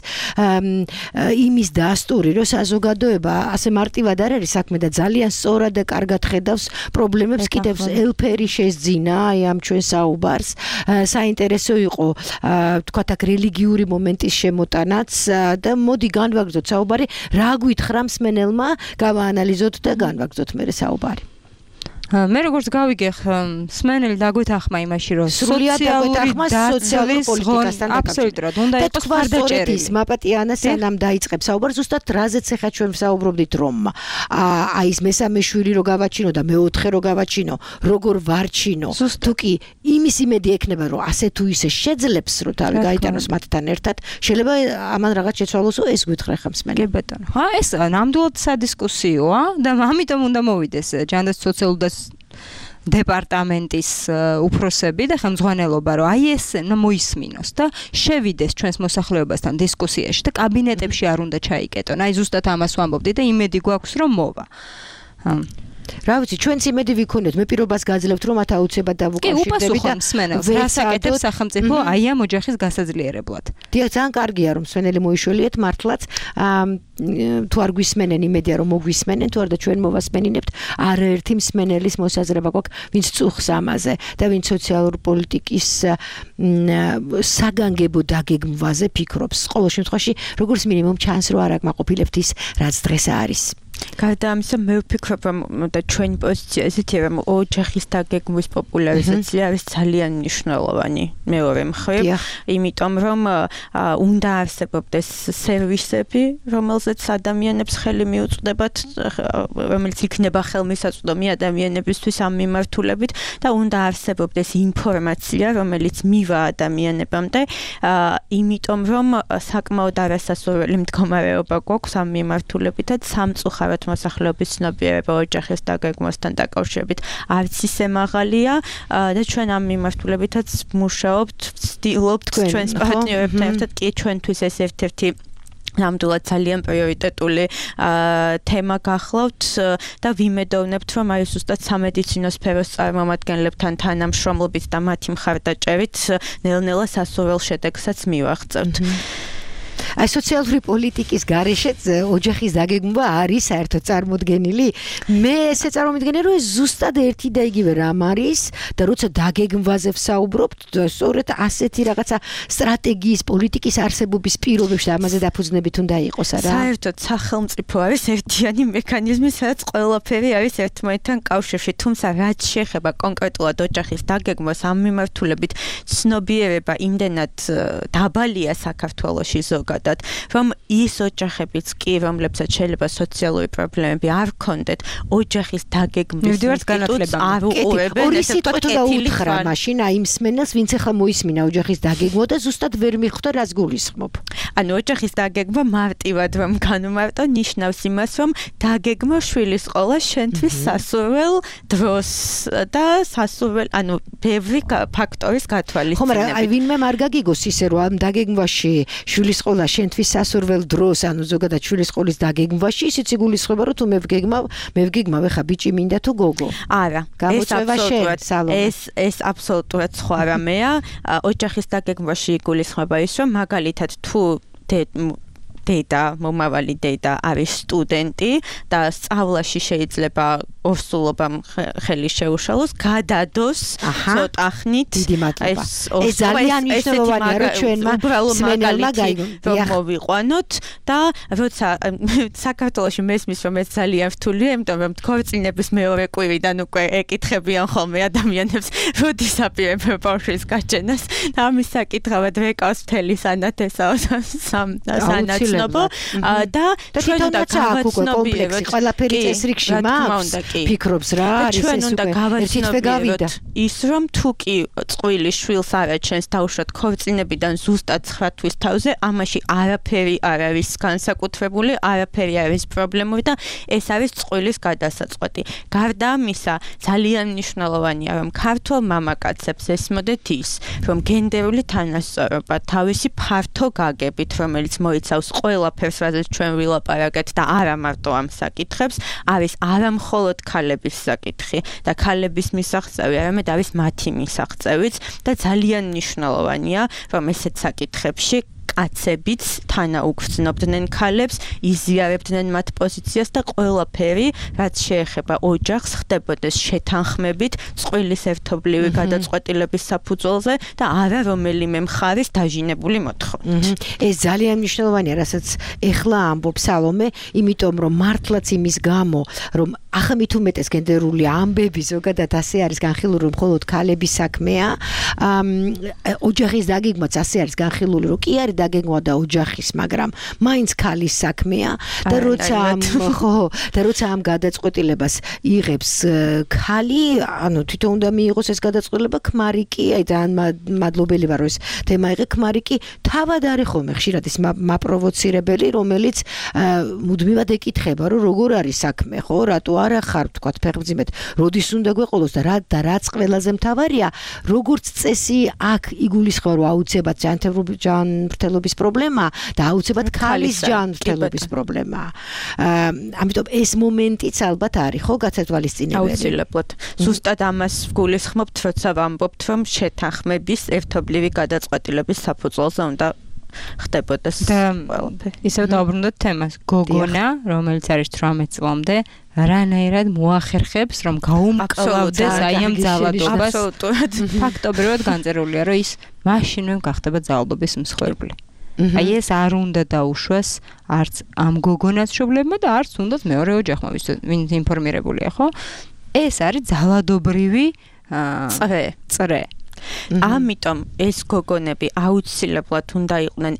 იმის დასტური, რომ საზოგადოება ასე მარტივად არ არის საქმე და ძალიან სწორად და კარგად ხედავს პრობლემებს, კიდევ ელფერი შეძინა აი ამ ჩვენ საუბარს. საინტერესო იყო თქვათ აქ რელიგიური მომენტის შემოტანაც და მოდი განვაგრძოთ საუბარი, რა გითხრა მსმენელმა, გავაანალიზოთ და განვაგრძოთ მერე საუბარი. მე როგორც გავიგე მსმენელი დაგვეთახმა იმაში რომ სოციალური სოციალური პოლიტიკასთან აბსოლუტურად უნდა იყოს მხარდაჭერილი. მაპატიანა სანამ დაიწყებს საუბარს, ზუსტად რაზეც ახლა ჩვენ ვსაუბრობდით რომ აი ეს მესამე შვილი რო გავაჩინო და მეოთხე რო გავაჩინო, როგორ ვარჩინო. თუ კი იმის იმედი ექნება რომ ასე თუ ისე შეძლებს რომ თავი გაიტანოს მათთან ერთად, შეიძლება ამან რაღაც შეცვალოს, ეს გითხრა ხა მსმენელი. კი ბატონო. ხა ეს ნამდვილად სადისკუსიოა და ამიტომ უნდა მოვიდეს ჯანდაცვის სოციალური და დეპარტამენტის უფროსები და ხელმძღვანელობა, რომ აი ეს მოისმინოს და შევიდეს ჩვენს მოსახლეობასთან დისკუსიაში და კაბინეტებში არ უნდა ჩაიკეტონ. აი ზუსტად ამას ვამბობდი და იმედი გვაქვს რომ მოვა. რა ვიცი, ჩვენც იმედი ვიქონეთ, მე პირობას გაძლევთ რომ მათ აუცილებლად დავუკავშირდები და მსმენელს რა საკეთებს სახელმწიფო აი ამ ოჯახის გასაძლიერებლად. დიახ, ძალიან კარგია რომ მსმენელი მოიშველიეთ მართლაც თუ არ გვისმენენ, იმედია რომ მოგვისმენენ, თუ არ და ჩვენ მოვასმენინებთ, არაერთი მსმენელის მოსაზრება გვაქვს, ვინც წუხს ამაზე და ვინც სოციალური პოლიტიკის საგანგებო დაგეგმვაზე ფიქრობს. ყოველ შემთხვევაში, როგორც მინიმუმ ჩანს რომ არ აკმაყოფილებთ ის, რაც დღეს არის. გარდა ამისა, მე ვფიქრობ, რომ და ჩვენი პოზიცია ესეთია, რომ ოჯახის დაგეგმვის პოპულარიზაცია არის ძალიან მნიშვნელოვანი მეორე მხრივ, იმიტომ რომ უნდა არსებობდეს სერვისები, რომელზეც ადამიანებს ხელი მიუწვდებათ, რომელიც იქნება ხელმისაწვდომი ადამიანებისთვის ამ მიმართულებით და უნდა არსებობდეს ინფორმაცია, რომელიც მივა ადამიანებამდე, იმიტომ რომ საკმაოდ არასასურველი მდგომარეობა გვაქვს ამ მიმართულებითაც სამწუხაროდ მოსახლეობის ცნობიერება ოჯახის დაგეგმვასთან დაკავშირებით არც ისე მაღალია და ჩვენ ამ მიმართულებითაც მუშაობთ, ვცდილობთ ჩვენს პარტნიორებთან ერთად, კი ჩვენთვის ეს ერთ-ერთი ნამდვილად ძალიან პრიორიტეტული თემა გახლავთ და ვიმედოვნებთ, რომ აი ზუსტად სამედიცინო სფეროს წარმომადგენლებთან თანამშრომლობით და მათი მხარდაჭერით ნელ-ნელა სასურველ შედეგსაც მივაღწევთ. აი სოციალური პოლიტიკის გარეშეც ოჯახის დაგეგმვა არის საერთოდ წარმოდგენილი. მე ესე წარმოვიდგენე, რომ ეს ზუსტად ერთი და იგივე რამ არის და როცა დაგეგმვაზე ვსაუბრობთ, სწორედ ასეთი რაღაცა სტრატეგიის პოლიტიკის არსებობის პირობებში ამაზე დაფუძნებით უნდა იყოს, არა? საერთოდ სახელმწიფო არის ერთიანი მექანიზმი, სადაც ყველაფერი არის ერთმანეთთან კავშირში, თუმცა რაც შეეხება კონკრეტულად ოჯახის დაგეგმვას, ამ მიმართულებით ცნობიერება იმდენად დაბალია საქართველოში ზოგადად, რომ ის ოჯახებიც კი, რომლებსაც შეიძლება სოციალური პრობლემები არ ჰქონდეთ, ოჯახის დაგეგმვის ინსტიტუტს არ უყურებენ. ორი სიტყვით დაუთხრა მაშინ აი მსმენელს, ვინც ახლა მოისმინა ოჯახის დაგეგმვა და ზუსტად ვერ მიხვდა რას გულისხმობ. ანუ ოჯახის დაგეგმვა მარტივად რომ განვმარტო, ნიშნავს იმას, რომ დაგეგმო შვილის ყოლა შენთვის სასურველ დროს და სასურველ, ანუ ბევრი ფაქტორის გათვალისწინებით. ხომ არა, აი ვინმე არ გაგიგოს ისე რომ ამ დაგეგმვაში შვილის ყოლა შენთვის სასურველ დროს, ანუ ზოგადად შვილის ყოლის დაგეგმვაში ისიც იგულისხმება, რომ თუ მე ვგეგმავ, მე ვგეგმავ ხა ბიჭი მინდა თუ გოგო. არა, ეს აბსოლუტურად ეს ეს აბსოლუტურად სხვა რამეა. ოჯახის დაგეგმვაში იგულისხმება ის, რომ მაგალითად თუ დედა, მომავალი დედა არის სტუდენტი და სწავლაში შეიძლება ორსულობამ ხელი შეუშალოს, გადადოს ცოტა ხნით. ეს ძალიან მნიშვნელოვანია, რომ ჩვენმა სმენელმა რომ მოვიყვანოთ და როცა საქართველოში მესმის რომ ეს ძალიან რთულია, იმიტომ რომ ქორწინების მეორე კვირიდან უკვე ეკითხებიან ხოლმე ადამიანებს, როდის აპირებენ ბავშვის გაჩენას და ამის საკითხავად ვეკავს მთელი სანათესაო სანაცნობო და ჩვენ უნდა გავაცნობიეროთ ყველაფერი წესრიგში მაქვს ფიქრობს რა არის ეს უკვე ერთითვე გავიდა ის რომ თუ კი წყვილი შვილს არაჩენს დაუშვათ ქორწინებიდან ზუსტად ცხრა თვის თავზე ამაში არაფერი არ არის განსაკუთრებული არაფერი არის პრობლემური და ეს არის წყვილის გადასაწყვეტი გარდა ამისა ძალიან მნიშვნელოვანია რომ ქართულ მამაკაცებს ესმოდეთ ის რომ გენდერული თანასწორობა თავისი ფართო გაგებით რომელიც მოიცავს ყველაფერს რაზეც ჩვენ ვილაპარაკეთ და არა მარტო ამ საკითხებს არის არა მხოლოდ ქალების საკითხი და ქალების მისაღწევი არამედ არის მათი მისაღწევიც და ძალიან მნიშვნელოვანია რომ ესეთ საკითხებში კაცებიც თანაუგრძნობდნენ ქალებს, იზიარებდნენ მათ პოზიციას და ყველაფერი, რაც შეეხება ოჯახს, ხდებოდეს შეთანხმებით, წყვილის ერთობლივი გადაწყვეტილების საფუძველზე და არა რომელიმე მხარის დაჟინებული მოთხოვნით. ეს ძალიან მნიშვნელოვანია, რასაც ეხლა ამბობს სალომე, იმიტომ რომ მართლაც იმის გამო, რომ ახლა მით უმეტეს გენდერული ამბები ზოგადად ასე არის განხილული, რომ მხოლოდ ქალების საქმეა, ოჯახის დაგეგმვაც ასე არის განხილული, რომ კი არის დაგეგმვა და ოჯახის, მაგრამ მაინც ქალის საქმეა და როცა ხო და როცა ამ გადაწყვეტილებას იღებს ქალი, ანუ თვითონ უნდა მიიღოს ეს გადაწყვეტილება, ქმარი კი, აი ძალიან მადლობელი ვარ, რომ ეს თემა იღე, ქმარი კი თავად არის ხოლმე ხშირად ის მაპროვოცირებელი, რომელიც მუდმივად ეკითხება, რომ როგორ არის საქმე, ხო, რატო არა ხარ, თქვათ, ფეხმძიმედ, როდის უნდა გვეყოლოს და რა და რაც ყველაზე მთავარია, როგორც წესი აქ იგულისხმება, რომ აუცილებლად ჯანმრთელობის პრობლემა და აუცილებლად ქალის ჯანმრთელობის პრობლემა. ამიტომ ეს მომენტიც ალბათ არის, ხო, გათვალისწინებელი. აუცილებლად. ზუსტად ამას ვგულისხმობთ, როცა ვამბობთ, რომ შეთანხმების ერთობლივი გადაწყვეტილების საფუძველზე უნდა ხდებოდეს ყველაფერი. ისევ დავბრუნდოთ თემას. გოგონა, რომელიც არის თვრამეტ წლამდე, რანაირად მოახერხებს, რომ გაუმკლავდეს აი ამ ძალადობას. ფაქტობრივად განწერულია, რომ ის მაშინვე გახდება ძალადობის მსხვერპლი. აი ეს არ უნდა დაუშვას არც ამ გოგონას მშობლებმა და არც უნდათ მეორე ოჯახმა, ვინც ინფორმირებულია, ხო? ეს არის ძალადობრივი წრე. წრე. ამიტომ ეს გოგონები აუცილებლად უნდა იყვნენ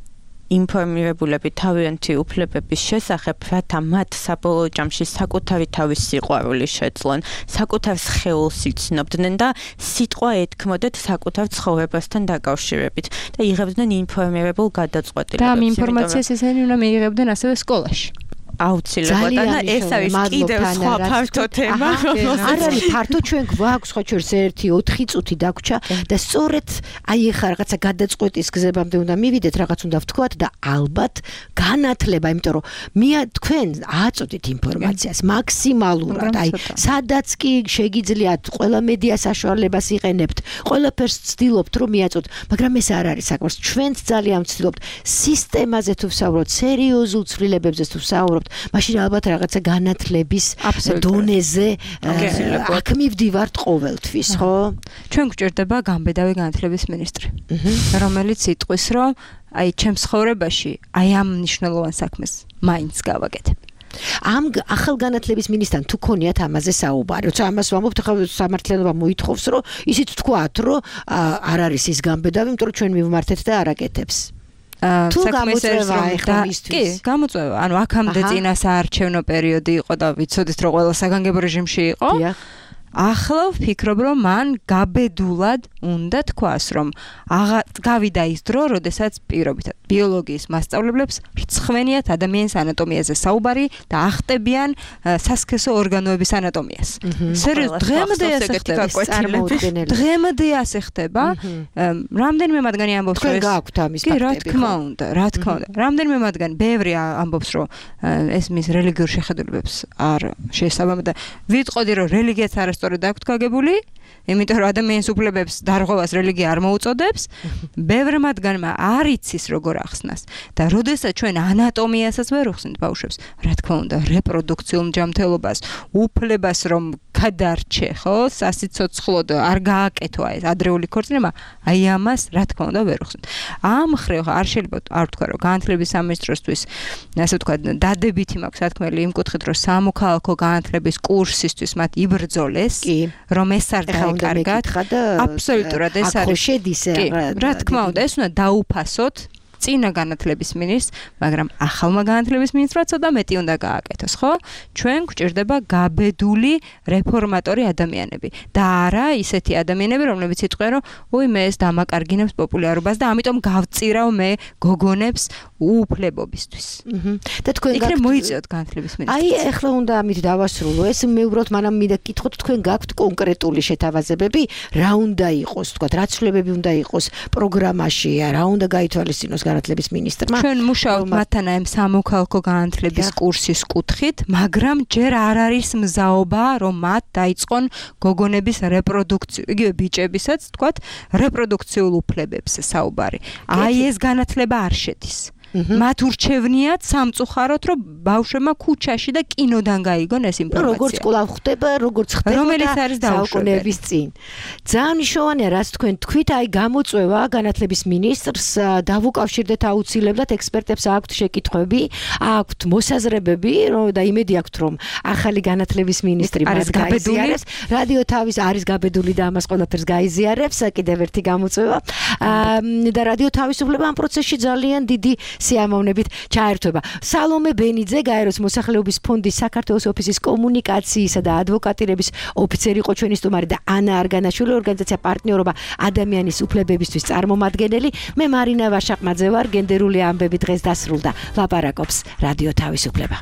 ინფორმირებულები თავიანთი უფლებების შესახებ, რათა მათ საბოლოო ჯამში საკუთარი თავის სიყვარული შეძლონ, საკუთარ სხეულს იცნობდნენ და სიტყვა ეთქმოდეთ საკუთარ ცხოვრებასთან დაკავშირებით და იღებდნენ ინფორმირებულ გადაწყვეტილებებს. და ამ ინფორმაციას ესენი უნდა მიიღებდნენ ასევე სკოლაში. აუცილებლად და ეს არის კიდევ სხვა ფართო თემა. არ არის ფართო, ჩვენ გვაქვს ხო ჩვენს ერთი ოთხი წუთი დაგვრჩა და სწორედ აი ეხა რაღაცა გადაწყვეტის გზებამდე უნდა მივიდეთ, რაღაც უნდა ვთქვათ და ალბათ განათლება, იმიტომ რომ მე თქვენ აწოდით ინფორმაციას მაქსიმალურად, აი სადაც კი შეგიძლიათ ყველა მედია საშუალებას იყენებთ, ყველაფერს ვცდილობთ რომ მიაწოდოთ, მაგრამ ეს არ არის საკმარისი. ჩვენც ძალიან ვცდილობთ სისტემაზე თუ ვსაუბრობთ, სერიოზულ ცვლილებებზე თუ ვსაუბრობთ, მაშინ ალბათ რაღაცა განათლების დონეზე აქ მივდივართ ყოველთვის, ხო? ჩვენ გვჭირდება განბედავი განათლების მინისტრი, რომელიც იტყვის, რომ აი ჩემს ცხოვრებაში აი ამ მნიშვნელოვან საქმეს მაინც გავაკეთებ. ამ ახალ განათლების მინისტრთან თუ ქონიათ ამაზე საუბარი, როცა ამას ვამბობთ, ახლა სამართლიანობა მოითხოვს, რომ ისიც თქვათ, რომ არ არის ის განბედავი, იმიტომ რომ ჩვენ მივმართეთ და არაკეთებს. თუ გამოწვევა ეხლა მისთვის. კი, გამოწვევა. ანუ აქამდე წინასაარჩევნო პერიოდი იყო და ვიცოდით რომ ყველა საგანგებო რეჟიმში იყო. ახლა ვფიქრობ რომ მან გაბედულად უნდა თქვას რომ გავიდა ის დრო, როდესაც პირობითად ბიოლოგიის მასწავლებლებს რცხვენიათ ადამიანის ანატომიაზე საუბარი და ახტებიან სასქესო ორგანოების ანატომიას. სერიოზულად დღემდე ასე ხდება. დღემდე ასე ხდება. რამდენიმე მათგანი ამბობს რომ გააქვთ ამის ფაქტები. კი, რა თქმა უნდა, რა თქმა უნდა. რამდენიმე მათგანი ბევრი ამბობს რომ ეს მის რელიგიურ შეხედულებებს არ შეესაბამება და ვიტყოდი რომ რელიგიაც არასწორად აქვთ გაგებული იმიტომ რომ ადამიანის უფლებებს დარღვევას რელიგია არ მოუწოდებს, ბევრ მათგანმა არ იცის როგორ ახსნას და როდესაც ჩვენ ანატომიასაც ვერ უხსნით ბავშვებს, რა თქმა უნდა, რეპროდუქციულ ჯანმრთელობას, უფლებას რომ გადარჩე, ხო, სასიცოცხლოდ არ გააკეთო ეს ადრეული ქორწინება, აი ამას რა თქმა უნდა ვერ უხსნით. ამ მხრივ არ შეიძლება არ ვთქვა რომ განათლების სამინისტროსთვის, ასე ვთქვათ, დადებითი მაქვს სათქმელი იმ კუთხით, რომ სამოქალაქო განათლების კურსისთვის მათ იბრძოლეს, რომ ეს არ დაეკარგათ. აბსოლუტურად ეს არის. რა თქმა უნდა, ეს უნდა დაუფასოთ წინა განათლების მინისტრს, მაგრამ ახალმა განათლების მინისტრმა ცოტა მეტი უნდა გააკეთოს, ხო? ჩვენ გვჭირდება გაბედული რეფორმატორი ადამიანები და არა ისეთი ადამიანები, რომლებიც იტყვიან, რომ უი მე ეს დამაკარგინებს პოპულარობას და ამიტომ გავწირავ მე გოგონებს უუფლებობისთვის. და თქვენ იქნებ მოიწიოთ განათლების მინისტრს. აი, ახლა უნდა ამით დავასრულო. ეს მე უბრალოდ მანამ მინდა გკითხოთ, თქვენ გაქვთ კონკრეტული შეთავაზებები, რა უნდა იყოს, თქვა, რა ცვლილებები უნდა იყოს პროგრამაში, რა უნდა გაითვალისწინოს განათლების მინისტრმა. ჩვენ მუშაობთ მათთან ამ სამოქალაქო განათლების კურსის კუთხით, მაგრამ ჯერ არ არის მზაობა, რომ მათ დაიწყონ გოგონების რეპროდუქცია, იგივე ბიჭებისაც, თქვათ, რეპროდუქციულ უფლებებს საუბარი. აი ეს განათლება არ შედის. მათ ურჩევნიათ სამწუხაროდ, რომ ბავშვებმა ქუჩაში და კინოდან გაიგონ ეს ინფორმაცია. როგორც კვლავ ხდება, როგორც ხდება რომელიც არის საუკუნეების წინ. ძალიან მნიშვნელოვანია, რაც თქვენ თქვით, აი გამოწვევა განათლების მინისტრს დავუკავშირდეთ აუცილებლად ექსპერტებს აქვთ შეკითხვები, აქვთ მოსაზრებები, და იმედი აქვთ, რომ ახალი განათლების მინისტრი მას გაიზიარებს. რადიო თავის არის გაბედული და ამას ყველაფერს გაიზიარებს, კიდევ ერთი გამოწვევა. და რადიო თავისუფლება ამ პროცესში ძალიან დიდი სიამოვნებით ჩაერთვება. სალომე ბენიძე, გაეროს მოსახლეობის ფონდის საქართველოს ოფისის კომუნიკაციისა და ადვოკატირების ოფიცერი იყო ჩვენი სტუმარი და ანა არგანაშვილი, ორგანიზაცია პარტნიორობა ადამიანის უფლებებისთვის წარმომადგენელი. მე მარინა ვაშაყმაძე ვარ, გენდერული ამბები დღეს დასრულდა. ლაპარაკობს რადიო თავისუფლება.